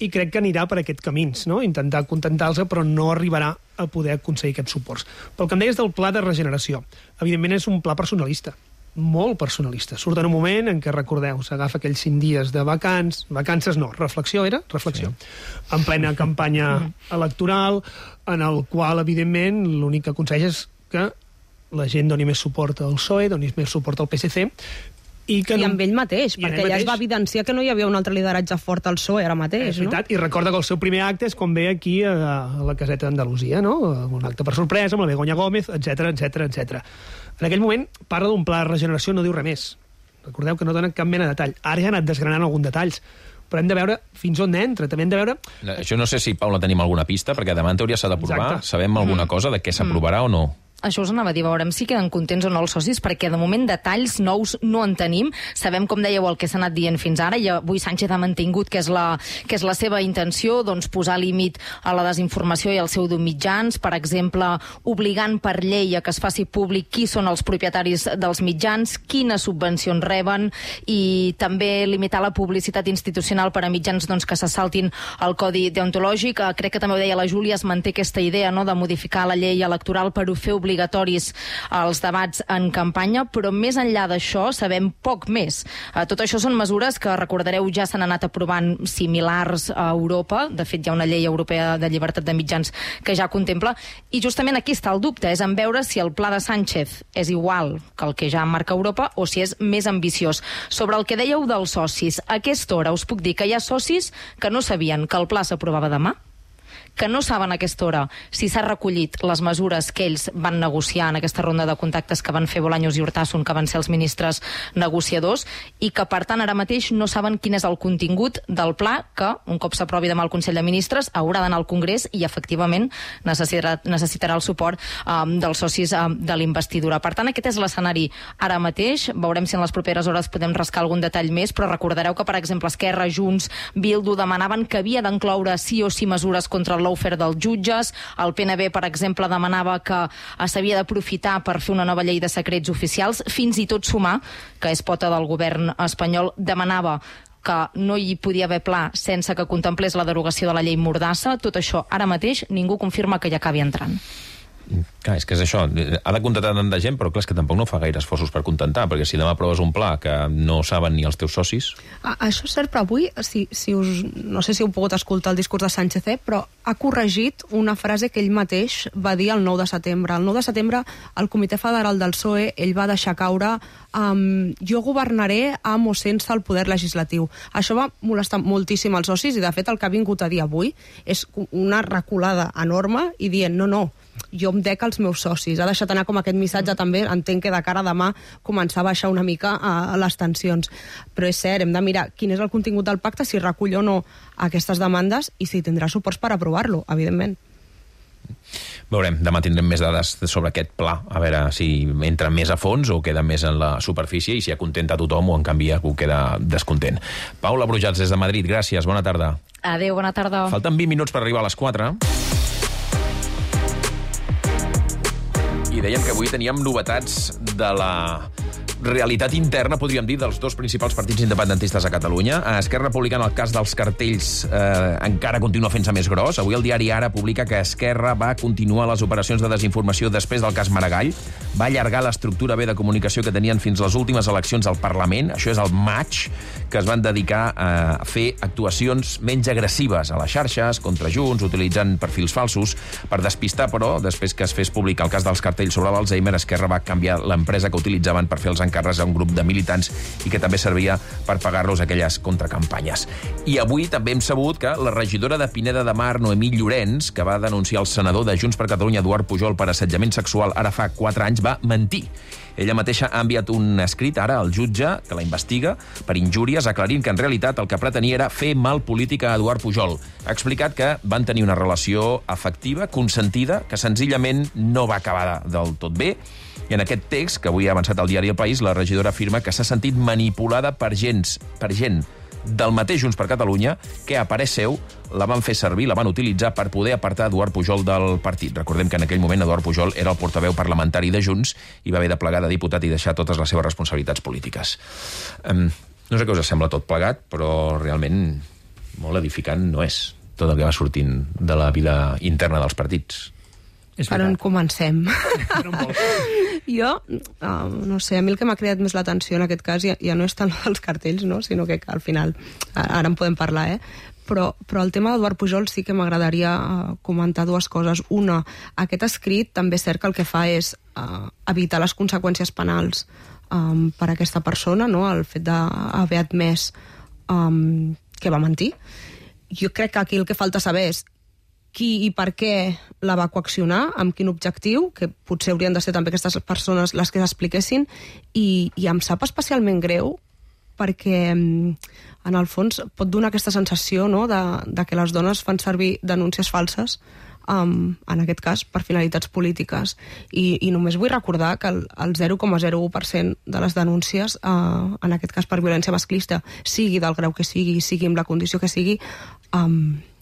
i crec que anirà per aquests camins, no? Intentar contentar-los, però no arribarà a poder aconseguir aquests suports. Pel que em deies del pla de regeneració, evidentment és un pla personalista, molt personalista. Surt en un moment en què, recordeu, s'agafa aquells 5 dies de vacances no, reflexió era? Reflexió. Sí. En plena campanya electoral, en el qual, evidentment, l'únic que aconsegueix és que la gent doni més suport al PSOE, doni més suport al PSC, i amb ell mateix, perquè ja es va evidenciar que no hi havia un altre lideratge fort al PSOE ara mateix. És veritat, no? I recorda que el seu primer acte és quan ve aquí a la caseta d'Andalusia, no? Un acte per sorpresa, amb la Begoña Gómez, etc. En aquell moment parla d'un pla de regeneració, no diu res més. Recordeu que no dona cap mena de detall. Ara ja ha anat desgranant alguns detalls, però hem de veure fins on entra, també hem de veure... Això no sé si, Paula, tenim alguna pista, perquè demà en teoria s'ha d'aprovar. Sabem alguna cosa de què s'aprovarà o no? Això us anava a dir, veurem si queden contents o no els socis, perquè de moment detalls nous no en tenim. Sabem, com dèieu, el que s'ha anat dient fins ara, i avui Sánchez ha mantingut que és la seva intenció, doncs, posar límit a la desinformació i al seu d'uns mitjans, per exemple, obligant per llei a que es faci públic qui són els propietaris dels mitjans, quines subvencions reben, i també limitar la publicitat institucional per a mitjans, doncs, que se saltin el codi deontològic. Crec que també ho deia la Júlia, es manté aquesta idea, no?, de modificar la llei electoral per fer obligatoris als debats en campanya, però més enllà d'això sabem poc més. Tot això són mesures que, recordareu, ja s'han anat aprovant similars a Europa. De fet, hi ha una llei europea de llibertat de mitjans que ja contempla, i justament aquí està el dubte, és en veure si el pla de Sánchez és igual que el que ja marca Europa o si és més ambiciós. Sobre el que dèieu dels socis, a aquesta hora us puc dir que hi ha socis que no sabien que el pla s'aprovava demà, que no saben a aquesta hora si s'ha recollit les mesures que ells van negociar en aquesta ronda de contactes que van fer Bolaños i Urtasun, que van ser els ministres negociadors, i que, per tant, ara mateix no saben quin és el contingut del pla que, un cop s'aprovi demà al Consell de Ministres, haurà d'anar al Congrés i, efectivament, necessitarà el suport dels socis de l'investidura. Per tant, aquest és l'escenari ara mateix. Veurem si en les properes hores podem rascar algun detall més, però recordareu que, per exemple, Esquerra, Junts, Bildu demanaven que havia d'incloure sí o sí mesures contra el lawfare dels jutges. El PNB, per exemple, demanava que s'havia d'aprofitar per fer una nova llei de secrets oficials. Fins i tot Sumar, que és pota del govern espanyol, demanava que no hi podia haver pla sense que contemplés la derogació de la llei Mordassa. Tot això, ara mateix, ningú confirma que hi acabi entrant. Clar, és que és això, ha de contentar tanta gent, però clar, és que tampoc no fa gaire esforços per contentar, perquè si demà aproves un pla que no saben ni els teus socis... Això és cert, però avui, no sé si heu pogut escoltar el discurs de Sánchez, però ha corregit una frase que ell mateix va dir el 9 de setembre. El 9 de setembre, al Comitè Federal del PSOE, ell va deixar caure jo governaré amb o sense el poder legislatiu. Això va molestar moltíssim els socis, i de fet el que ha vingut a dir avui és una reculada enorme i dient no, jo em dec als meus socis. Ha deixat anar com aquest missatge també, entenc que de cara a demà començar a baixar una mica a les tensions. Però és cert, hem de mirar quin és el contingut del pacte, si recull o no aquestes demandes i si tindrà suports per aprovar-lo, evidentment. Veurem, demà tindrem més dades sobre aquest pla, a veure si entra més a fons o queda més en la superfície i si acontenta tothom o en canvi algú queda descontent. Paula Brujats, des de Madrid, gràcies, bona tarda. Adéu, bona tarda. Falten 20 minuts per arribar a les 4. I dèiem que avui teníem novetats de la realitat interna, podríem dir, dels dos principals partits independentistes a Catalunya. A Esquerra Republicana, el cas dels cartells encara continua fent-se més gros. Avui el diari Ara publica que Esquerra va continuar les operacions de desinformació després del cas Maragall, va allargar l'estructura B de comunicació que tenien fins les últimes eleccions al Parlament, això és el maig, que es van dedicar a fer actuacions menys agressives a les xarxes, contra Junts, utilitzant perfils falsos. Per despistar, però, després que es fes públic el cas dels cartells sobre l'Alzheimer, Esquerra va canviar l'empresa que utilitzaven per fer els encàrrecs a un grup de militants i que també servia per pagar-los aquelles contracampanyes. I avui també hem sabut que la regidora de Pineda de Mar, Noemí Llorenç, que va denunciar el senador de Junts per Catalunya, Eduard Pujol, per assetjament sexual ara fa 4 anys, va mentir. Ella mateixa ha enviat un escrit ara al jutge que la investiga per injúries, aclarint que en realitat el que pretenia era fer mal polític a Eduard Pujol. Ha explicat que van tenir una relació afectiva, consentida, que senzillament no va acabar del tot bé. I en aquest text, que avui ha avançat al diari El País, la regidora afirma que s'ha sentit manipulada per gent del mateix Junts per Catalunya que, a parer seu, la van fer servir, la van utilitzar per poder apartar Eduard Pujol del partit. Recordem que en aquell moment Eduard Pujol era el portaveu parlamentari de Junts i va haver de plegar de diputat i deixar totes les seves responsabilitats polítiques. No sé què us sembla tot plegat, però realment molt edificant no és tot el que va sortint de la vida interna dels partits. Per on comencem? Jo, no sé, a mi el que m'ha creat més l'atenció en aquest cas ja no és tant els cartells, no? Sinó que al final, ara en podem parlar, però el tema d'Eduard Pujol sí que m'agradaria comentar dues coses. Una, aquest escrit també és cert que el que fa és evitar les conseqüències penals per a aquesta persona, no? El fet d'haver admès que va mentir. Jo crec que aquí el que falta saber és qui i per què la va coaccionar, amb quin objectiu, que potser haurien de ser també aquestes persones les que s'expliquessin, i em sap especialment greu perquè en el fons pot donar aquesta sensació, no?, de que les dones fan servir denúncies falses, en aquest cas per finalitats polítiques, i només vull recordar que el 0,01% de les denúncies, en aquest cas per violència masclista, sigui del grau que sigui amb la condició que sigui,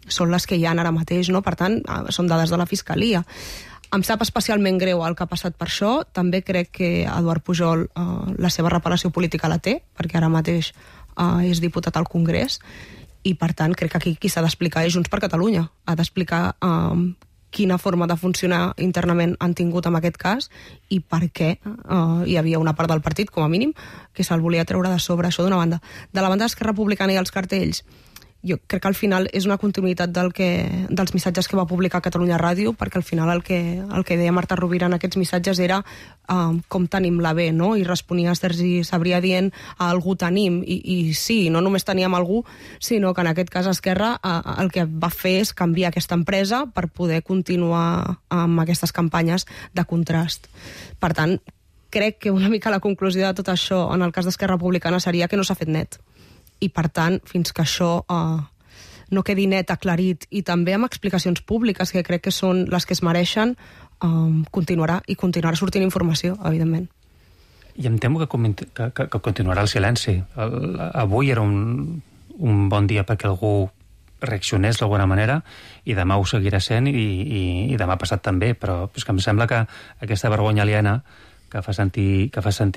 són les que hi ha ara mateix, no? Per tant, són dades de la Fiscalia. Em sap especialment greu el que ha passat per això. També crec que Eduard Pujol la seva reparació política la té, perquè ara mateix és diputat al Congrés, i per tant crec que aquí qui s'ha d'explicar és Junts per Catalunya. Ha d'explicar quina forma de funcionar internament han tingut en aquest cas i per què hi havia una part del partit, com a mínim, que se'l volia treure de sobre. Això d'una banda. De la banda d'Esquerra Republicana i els cartells, jo crec que al final és una continuïtat dels missatges que va publicar Catalunya Ràdio, perquè al final el que deia Marta Rovira en aquests missatges era com tenim la B, no? I responia Sergi Sabrià dient algú tenim, i sí, no només teníem algú, sinó que en aquest cas Esquerra el que va fer és canviar aquesta empresa per poder continuar amb aquestes campanyes de contrast. Per tant, crec que una mica la conclusió de tot això en el cas d'Esquerra Republicana seria que no s'ha fet net. I, per tant, fins que això no quedi net, aclarit, i també amb explicacions públiques, que crec que són les que es mereixen, continuarà sortint informació, evidentment. I em temo que continuarà el silenci. Avui era un bon dia perquè algú reaccionés d'alguna manera, i demà ho seguirà sent, i demà passat també, però és que em sembla que aquesta vergonya aliena que fa sentir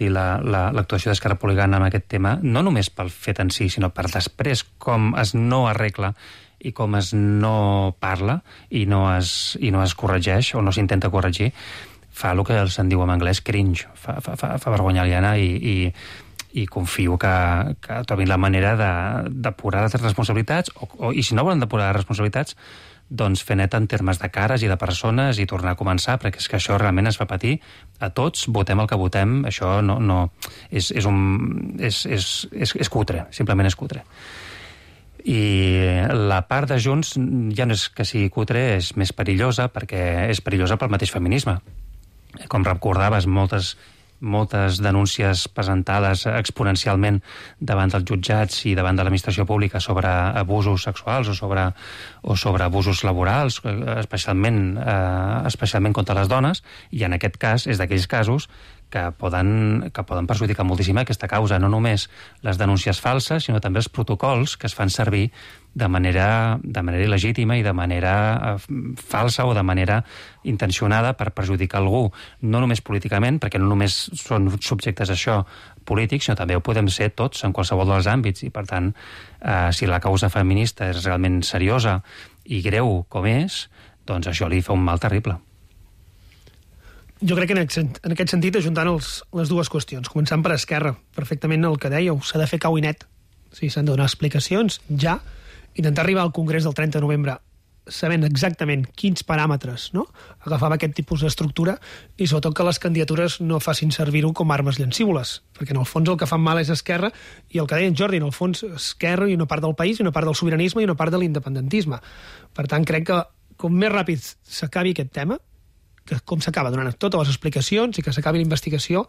l'actuació d'Esquerra Republicana en aquest tema, no només pel fet en si, sinó per després com es no arregla i com es no parla i no es corregeix o no s'intenta corregir, fa el que se'n diu en anglès cringe, fa vergonya aliena, i confio que trobin la manera d'apurar les responsabilitats, i si no volen depurar les responsabilitats, doncs fer net en termes de cares i de persones i tornar a començar, perquè és que això realment es fa patir a tots, votem el que votem, això és cutre, simplement és cutre. I la part de Junts ja no és que sigui cutre, és més perillosa, perquè és perillosa pel mateix feminisme. Com recordaves, moltes denúncies presentades exponencialment davant dels jutjats i davant de l'administració pública sobre abusos sexuals o sobre abusos laborals, especialment contra les dones, i en aquest cas és d'aquells casos que poden perjudicar moltíssim aquesta causa, no només les denúncies falses, sinó també els protocols que es fan servir de manera il·legítima i de manera falsa o de manera intencionada per perjudicar algú, no només políticament, perquè no només són subjectes a això polítics, sinó també ho podem ser tots en qualsevol dels àmbits, i per tant, si la causa feminista és realment seriosa i greu com és, doncs això li fa un mal terrible. Jo crec que en aquest sentit, ajuntant les dues qüestions, començant per Esquerra, perfectament el que dèieu, s'ha de fer cau i net. Sí, s'han de donar explicacions ja, intentar arribar al Congrés del 30 de novembre sabent exactament quins paràmetres, no?, agafava aquest tipus d'estructura, i sobretot que les candidatures no facin servir-ho com armes llancívoles, perquè en el fons el que fan mal és Esquerra, i el que deia en Jordi, en el fons Esquerra i una part del país, i una part del sobiranisme i una part de l'independentisme. Per tant, crec que com més ràpid s'acabi aquest tema, que com s'acaba donant totes les explicacions i que s'acabi la investigació,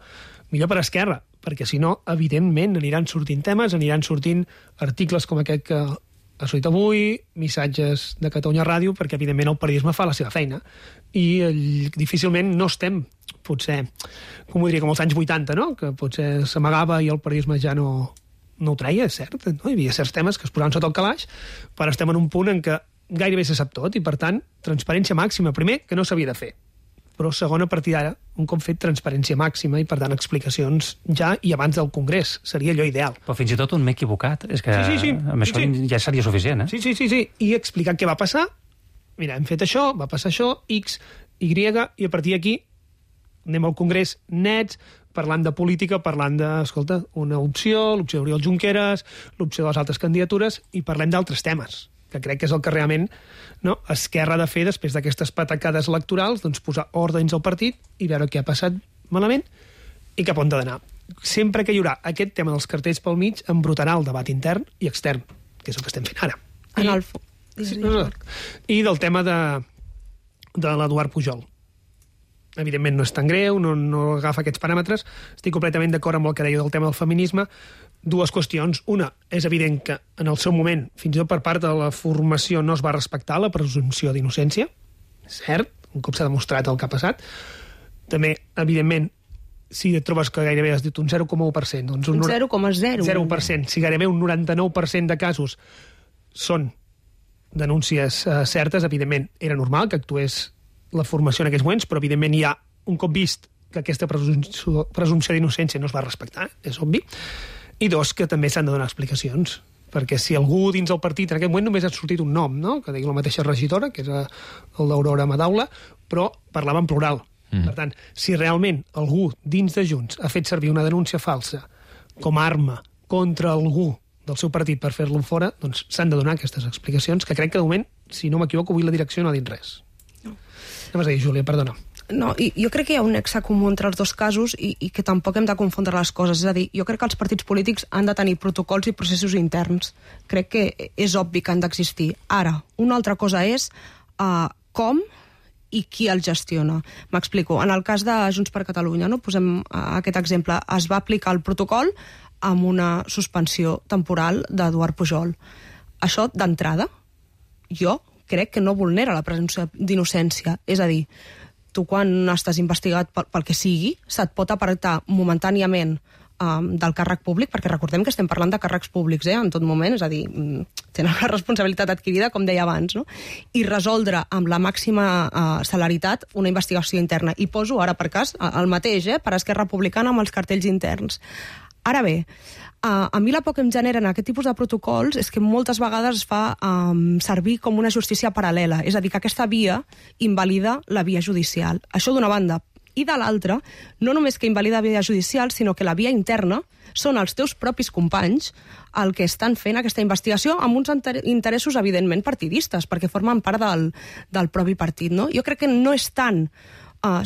millor per Esquerra, perquè si no, evidentment, aniran sortint temes, aniran sortint articles com aquest que ha sortit avui, missatges de Catalunya Ràdio, perquè evidentment el periodisme fa la seva feina, i difícilment no estem, potser, com ho diria, com els anys 80, no?, que potser s'amagava i el periodisme ja no ho treia, és cert, no? Hi havia certs temes que es posaven sota el calaix, però estem en un punt en què gairebé se sap tot, i per tant, transparència màxima, primer, que no s'havia de fer, però segona, a partir d'ara, un cop fet, transparència màxima i, per tant, explicacions ja i abans del Congrés. Seria allò ideal. Però fins i tot un m'he equivocat. És que sí. amb això ja seria suficient, eh? Sí. I explicar què va passar. Mira, hem fet això, va passar això, X, Y, i a partir d'aquí anem al Congrés nets, parlant de política, parlant de, escolta, una opció, l'opció d'Oriol Junqueras, l'opció de les altres candidatures, i parlem d'altres temes, que crec que és el que realment, no, Esquerra ha de fer després d'aquestes patacades electorals, doncs posar ordres al partit i veure què ha passat malament i cap on ha d'anar. Sempre que hi haurà aquest tema dels cartells pel mig, embrutarà el debat intern i extern, que és el que estem fent ara. I del tema de l'Eduard Pujol. Evidentment no és tan greu, no agafa aquests paràmetres. Estic completament d'acord amb el que deia del tema del feminisme. Dues qüestions. Una, és evident que en el seu moment, fins i tot per part de la formació, no es va respectar la presumpció d'innocència. Cert, un cop s'ha demostrat el que ha passat. També, evidentment, si et trobes que gairebé has dit un 0,1%, doncs un 0,0%. 0%. Si gairebé un 99% de casos són denúncies certes, evidentment era normal que actués la formació en aquests moments, però evidentment hi ha un cop vist que aquesta presumpció d'innocència no es va respectar, és obvi. I dos, que també s'han de donar explicacions, perquè si algú dins el partit, en aquest moment només ha sortit un nom, no?, que digui la mateixa regidora, que és el d'Aurora Madaula, però parlava en plural. Per tant, si realment algú dins de Junts ha fet servir una denúncia falsa com a arma contra algú del seu partit per fer-lo fora, doncs s'han de donar aquestes explicacions, que crec que de moment, si no m'equivoco, avui la direcció no ha dit res. Què vas dir, Júlia? Perdona. No, jo crec que hi ha un nexe comú entre els dos casos i que tampoc hem de confondre les coses. És a dir, jo crec que els partits polítics han de tenir protocols i processos interns. Crec que és obvi que han d'existir. Ara, una altra cosa és com i qui el gestiona. M'explico. En el cas de Junts per Catalunya, no, posem aquest exemple, es va aplicar el protocol amb una suspensió temporal d'Eduard Pujol. Això, d'entrada, jo crec que no vulnera la presumpció d'innocència. És a dir, tu quan estàs investigat pel que sigui, se't pot apartar momentàniament del càrrec públic, perquè recordem que estem parlant de càrrecs públics en tot moment, és a dir, tenen la responsabilitat adquirida, com deia abans, no? I resoldre amb la màxima celeritat una investigació interna. I poso ara per cas el mateix, per Esquerra Republicana amb els cartells interns. Ara bé, a mi la por que em generen aquest tipus de protocols és que moltes vegades es fa servir com una justícia paral·lela, és a dir, que aquesta via invalida la via judicial. Això d'una banda. I de l'altra, no només que invalida la via judicial, sinó que la via interna són els teus propis companys el que estan fent aquesta investigació amb uns interessos evidentment partidistes, perquè formen part del propi partit, no? Jo crec que no és tant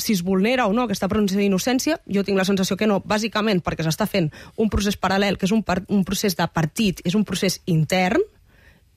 si es vulnera o no aquesta presumpció d'innocència, jo tinc la sensació que no, bàsicament perquè s'està fent un procés paral·lel, que és un procés de partit, és un procés intern,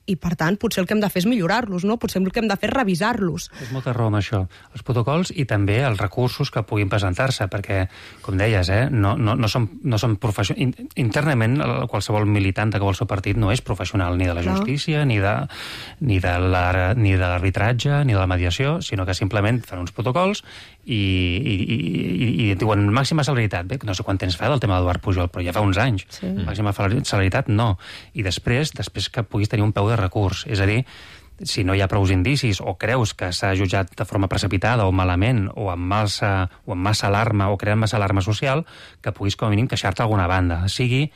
i, per tant, potser el que hem de fer és millorar-los, no? Potser el que hem de fer és revisar-los. És molta raó amb això. Els protocols i també els recursos que puguin presentar-se, perquè, com deies, no són professionals. Internament, qualsevol militant de qualsevol partit no és professional ni de la justícia, ni de l'arbitratge, ni de la mediació, sinó que simplement fan uns protocols i diuen màxima celeritat. Bé, no sé quant temps fa del tema d'Eduard Pujol, però ja fa uns anys. Màxima celeritat, no. I després que puguis tenir un peu de recurs. És a dir, si no hi ha prous indicis o creus que s'ha jutjat de forma precipitada o malament o amb massa alarma o creant massa alarma social, que puguis com a mínim queixar-te a alguna banda. Sigui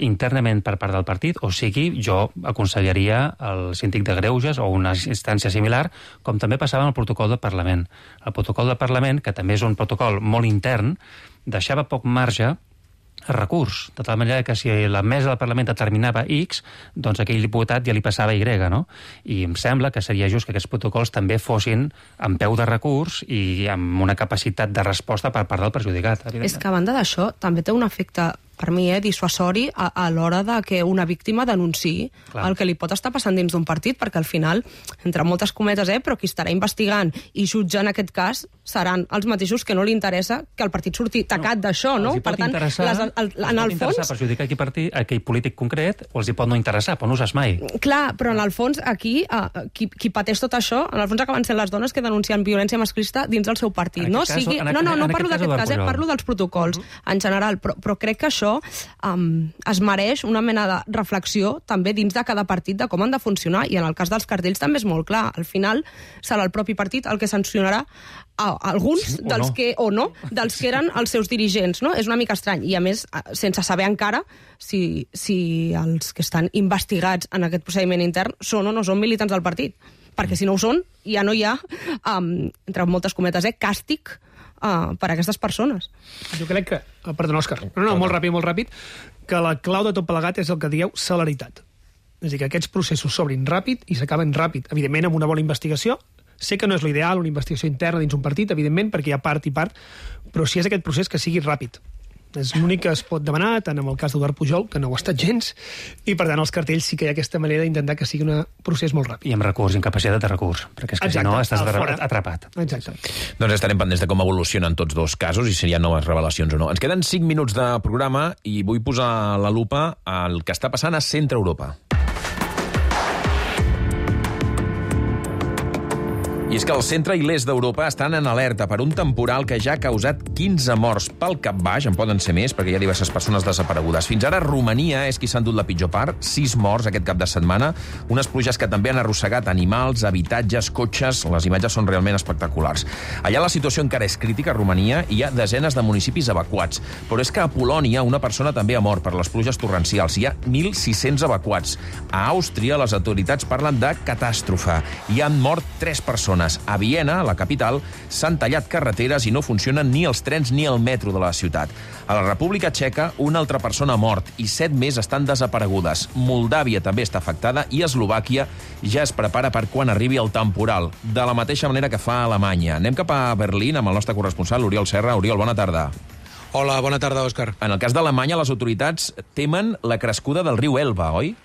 internament per part del partit, o sigui, jo aconsellaria el síndic de greuges o una instància similar, com també passava en el protocol del Parlament. El protocol del Parlament, que també és un protocol molt intern, deixava poc marge a recurs, de tal manera que si la mesa del Parlament determinava X, doncs aquell diputat ja li passava Y, no? I em sembla que seria just que aquests protocols també fossin amb peu de recurs i amb una capacitat de resposta per part del perjudicat. És que a banda d'això també té un efecte, per mi, dissuasori a l'hora de que una víctima denunciï el que li pot estar passant dins d'un partit, perquè al final, entre moltes cometes, però qui estarà investigant i jutjant aquest cas seran els mateixos que no li interessa que el partit surti tacat d'això, no? Per tant, en el fons perjudicar aquell polític concret o els hi pot no interessar, però no ho saps mai. Clar, però en el fons aquí qui pateix tot això, en el fons acaben sent les dones que denuncien violència masclista dins del seu partit. No parlo d'aquest cas, parlo dels protocols en general, però crec que això es mereix una mena de reflexió també dins de cada partit de com han de funcionar, i en el cas dels cartells també és molt clar. Al final serà el propi partit el que sancionarà alguns dels que eren els seus dirigents, no? És una mica estrany, i a més sense saber encara si els que estan investigats en aquest procediment intern són o no són militants del partit, perquè si no ho són ja no hi ha, entre moltes cometes, càstig per a aquestes persones. Jo crec que... Perdona, Òscar. No, molt ràpid, que la clau de tot plegat és el que dieu celeritat. És a dir, que aquests processos s'obrin ràpid i s'acaben ràpid. Evidentment, amb una bona investigació. Sé que no és l'ideal, una investigació interna dins un partit, evidentment, perquè hi ha part i part, però si és aquest procés que sigui ràpid. És l'únic que es pot demanar, tant en el cas d'Eduard Pujol, que no ho ha estat gens, i per tant als cartells sí que hi ha aquesta manera d'intentar que sigui un procés molt ràpid. I amb recurs, incapacitat de recurs, perquè és que si no estàs atrapat. Exacte. Doncs estarem pendents de com evolucionen tots dos casos i si hi ha noves revelacions o no. Ens queden 5 minuts de programa i vull posar la lupa al que està passant a Centre Europa. I és que el centre i l'est d'Europa estan en alerta per un temporal que ja ha causat 15 morts pel cap baix, en poden ser més perquè hi ha diverses persones desaparegudes. Fins ara Romania és qui s'ha endut la pitjor part, 6 morts aquest cap de setmana, unes pluges que també han arrossegat animals, habitatges, cotxes, les imatges són realment espectaculars. Allà la situació encara és crítica a Romania i hi ha desenes de municipis evacuats, però és que a Polònia una persona també ha mort per les pluges torrencials, hi ha 1.600 evacuats. A Àustria les autoritats parlen de catàstrofe, hi han mort 3 persones. A Viena, la capital, s'han tallat carreteres i no funcionen ni els trens ni el metro de la ciutat. A la República Txeca, una altra persona ha mort i 7 més estan desaparegudes. Moldàvia també està afectada i Eslovàquia ja es prepara per quan arribi el temporal, de la mateixa manera que fa Alemanya. Anem cap a Berlín amb el nostre corresponsal, Oriol Serra. Oriol, bona tarda. Hola, bona tarda, Òscar. En el cas d'Alemanya, les autoritats temen la crescuda del riu Elba, oi?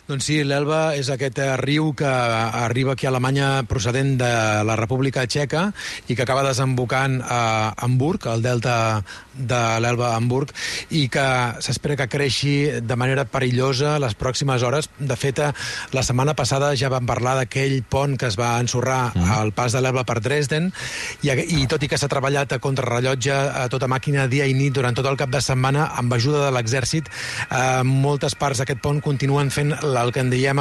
Doncs sí, l'Elba és aquest riu que arriba aquí a Alemanya procedent de la República Txeca i que acaba desembocant a Hamburg, al delta de l'Elba a Hamburg, i que s'espera que creixi de manera perillosa les pròximes hores. De fet, la setmana passada ja vam parlar d'aquell pont que es va ensorrar al pas de l'Elba per Dresden, i tot i que s'ha treballat a contrarrellotge a tota màquina dia i nit durant tot el cap de setmana, amb ajuda de l'exèrcit, moltes parts d'aquest pont continuen fent el que en diem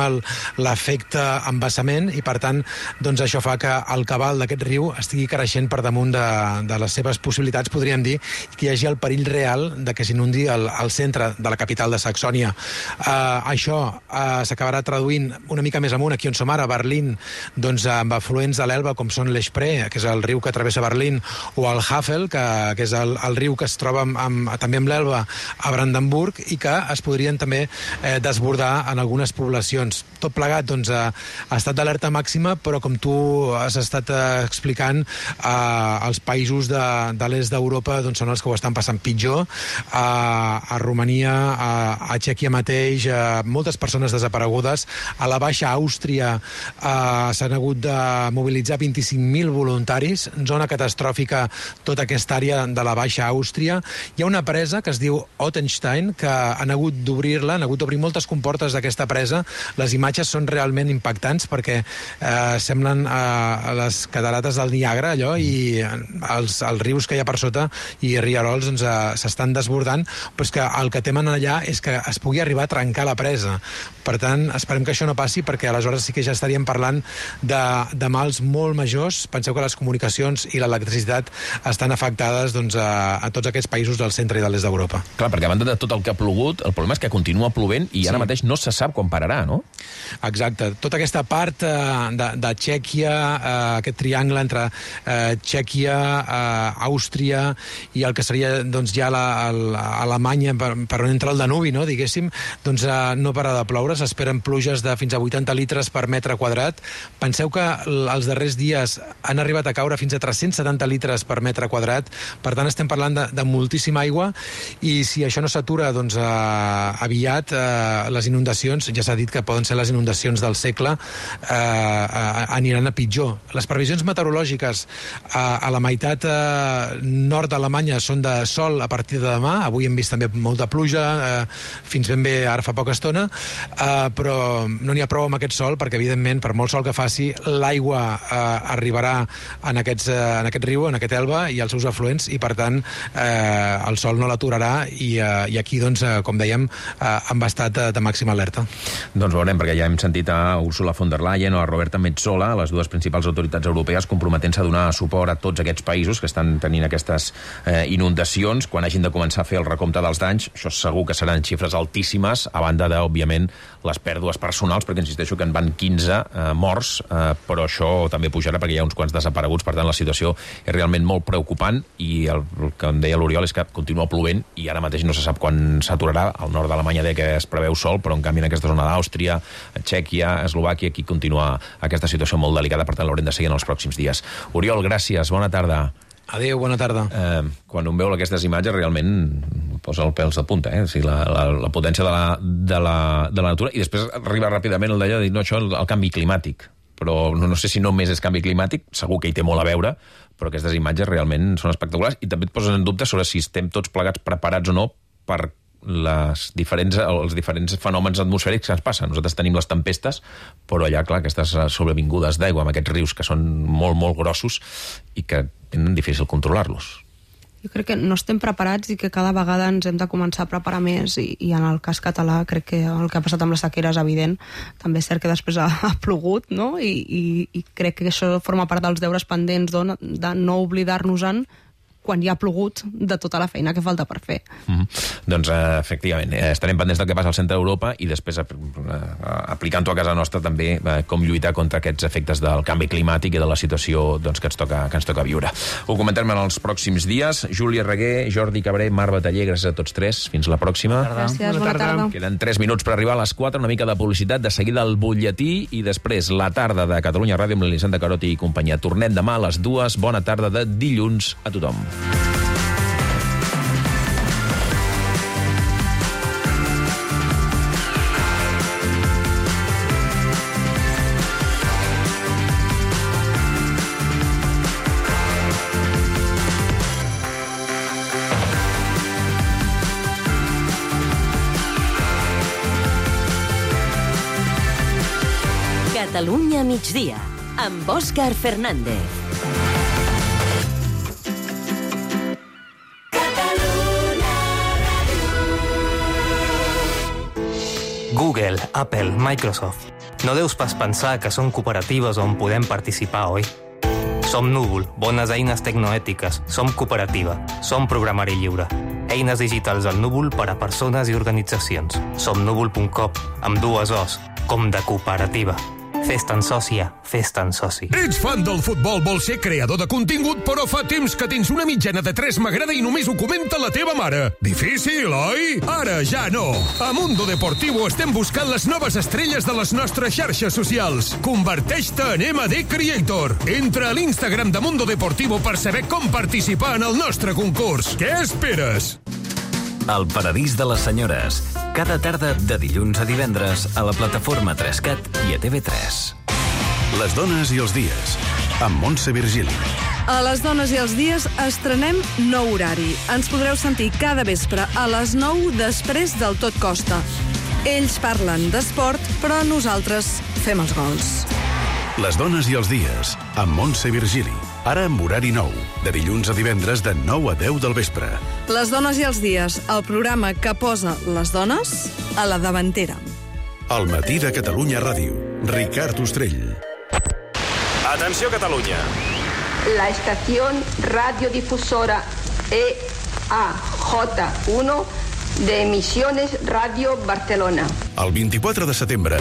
l'efecte embassament, i per tant doncs això fa que el cabal d'aquest riu estigui creixent per damunt de les seves possibilitats, podríem dir, i que hi hagi el perill real de que s'inundi el centre de la capital de Saxònia. Això s'acabarà traduint una mica més amunt, aquí on som ara, a Berlín, doncs amb afluents de l'Elba, com són l'Spree, que és el riu que travessa Berlín, o el Havel, que és el riu que es troba també amb l'Elba a Brandenburg, i que es podrien també desbordar en algunes les poblacions. Tot plegat, doncs, ha estat d'alerta màxima, però com tu has estat explicant, els països de l'est d'Europa doncs, són els que ho estan passant pitjor. A Romania, a Txèquia mateix, moltes persones desaparegudes. A la Baixa Àustria s'han hagut de mobilitzar 25.000 voluntaris, zona catastròfica tota aquesta àrea de la Baixa Àustria. Hi ha una presa que es diu Ottenstein, que han hagut d'obrir-la, han hagut d'obrir moltes comportes d'aquesta presa. Les imatges són realment impactants perquè semblen les catarates del Niagara, allò, i els rius que hi ha per sota i rierols doncs, s'estan desbordant, però és que el que temen allà és que es pugui arribar a trencar la presa. Per tant, esperem que això no passi, perquè aleshores sí que ja estaríem parlant de mals molt majors. Penseu que les comunicacions i l'electricitat estan afectades doncs, a tots aquests països del centre i de l'est d'Europa. Clar, perquè a banda de tot el que ha plogut, el problema és que continua plovent i ara mateix no se sap quan pararà, no? Exacte. Tota aquesta part de Txèquia, aquest triangle entre Txèquia, Àustria i el que seria doncs, ja Alemanya, per on entra el Danubi, no, diguéssim, doncs no para de ploure, s'esperen pluges de fins a 80 litres per metre quadrat. Penseu que els darrers dies han arribat a caure fins a 370 litres per metre quadrat, per tant estem parlant de moltíssima aigua, i si això no s'atura doncs, aviat, les inundacions, ja s'ha dit que poden ser les inundacions del segle, aniran a pitjor. Les previsions meteorològiques a la meitat nord d'Alemanya són de sol a partir de demà. Avui hem vist també molta pluja, fins ben bé ara fa poca estona, però no n'hi ha prou amb aquest sol, perquè evidentment, per molt sol que faci, l'aigua arribarà en aquest riu, en aquest Elba i els seus afluents, i per tant el sol no l'aturarà, i aquí, doncs, com dèiem, hem estat de màxima alerta. Doncs veurem, perquè ja hem sentit a Ursula von der Leyen o a Roberta Metsola, les dues principals autoritats europees, comprometent-se a donar suport a tots aquests països que estan tenint aquestes inundacions quan hagin de començar a fer el recompte dels danys. Això segur que seran xifres altíssimes, a banda de, òbviament, les pèrdues personals, perquè insisteixo que en van 15 morts, però això també pujarà perquè hi ha uns quants desapareguts. Per tant, la situació és realment molt preocupant, i el que em deia l'Oriol és que continua plovent i ara mateix no se sap quan s'aturarà. Al nord d'Alemanya deia que es preveu sol, però en canvi en aquesta zona d'Àustria, Txèquia, Eslovàquia, aquí continua aquesta situació molt delicada, per tant l'haurem de seguir en els pròxims dies. Oriol, gràcies, bona tarda. Adéu, bona tarda. Quan un veu aquestes imatges realment posa el pèls de punta, o sigui, la potència de la natura, i després arriba ràpidament el d'allò de dir, no, això el canvi climàtic, però no sé si només és canvi climàtic, segur que hi té molt a veure, però aquestes imatges realment són espectaculars, i també et posen en dubte sobre si estem tots plegats preparats o no per els diferents fenòmens atmosfèrics que ens passen. Nosaltres tenim les tempestes, però allà, clar, aquestes sobrevingudes d'aigua amb aquests rius que són molt, molt grossos i que tenen difícil controlar-los. Jo crec que no estem preparats i que cada vegada ens hem de començar a preparar més, i en el cas català crec que el que ha passat amb la sequera és evident. També és cert que després ha plogut, no? I crec que això forma part dels deures pendents de no oblidar-nos-en quan hi ha plogut, de tota la feina que falta per fer. Doncs, efectivament, estarem pendents del que passa al centre d'Europa i després aplicant-ho a casa nostra també com lluitar contra aquests efectes del canvi climàtic i de la situació doncs, que ens toca viure. Ho comentarem en els pròxims dies. Júlia Reguer, Jordi Cabré, Mar Bataller, gràcies a tots tres. Fins la pròxima. Gràcies, bona tarda. Queden 3 minuts per arribar a les 4, una mica de publicitat, de seguida el butlletí i després la tarda de Catalunya Ràdio amb l'Elisenda Caroti i companyia. Tornem demà a les 2. Bona tarda de dilluns a tothom. Catalunya migdia, amb Òscar Fernández. Google, Apple, Microsoft. No deus pas pensar que són cooperatives on podem participar, oi? Som Núvol, bones eines tecnoètiques. Som cooperativa. Som programari lliure. Eines digitals al Núvol per a persones i organitzacions. Som núvol.com, amb 2 O's, com de cooperativa. Fes-te'n sòcia, fes-te'n soci. Ets fan del futbol, vols ser creador de contingut, però fa temps que tens una mitjana de 3 m'agrada i només ho comenta la teva mare. Difícil, oi? Ara ja no. A Mundo Deportivo estem buscant les noves estrelles de les nostres xarxes socials. Converteix-te en MD Creator. Entra a l'Instagram de Mundo Deportivo per saber com participar en el nostre concurs. Què esperes? El paradís de les senyores. Cada tarda de dilluns a divendres a la plataforma 3CAT i a TV3. Les dones i els dies, amb Montse Virgili. A les dones i els dies estrenem nou horari. Ens podreu sentir cada vespre a les 9 després del Tot Costa. Ells parlen d'esport, però nosaltres fem els gols. Les dones i els dies, amb Montse Virgili. Ara amb horari nou, de dilluns a divendres de 9 a 10 del vespre. Les dones i els dies, el programa que posa les dones a la davantera. Al matí de Catalunya Ràdio, Ricard Ostrell. Atenció, Catalunya. La estación radiodifusora EAJ1 de Emisiones Radio Barcelona. El 24 de setembre,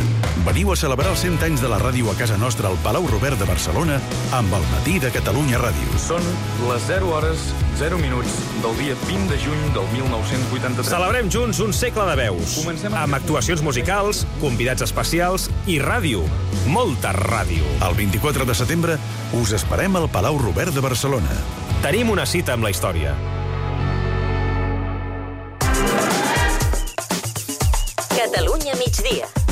veniu a celebrar els 100 anys de la ràdio a casa nostra al Palau Robert de Barcelona amb el matí de Catalunya Ràdio. Són les 0 hores, 0 minuts del dia 20 de juny del 1983. Celebrem junts un segle de veus. Amb actuacions musicals, convidats especials i ràdio. Molta ràdio. El 24 de setembre us esperem al Palau Robert de Barcelona. Tenim una cita amb la història. Catalunya migdia.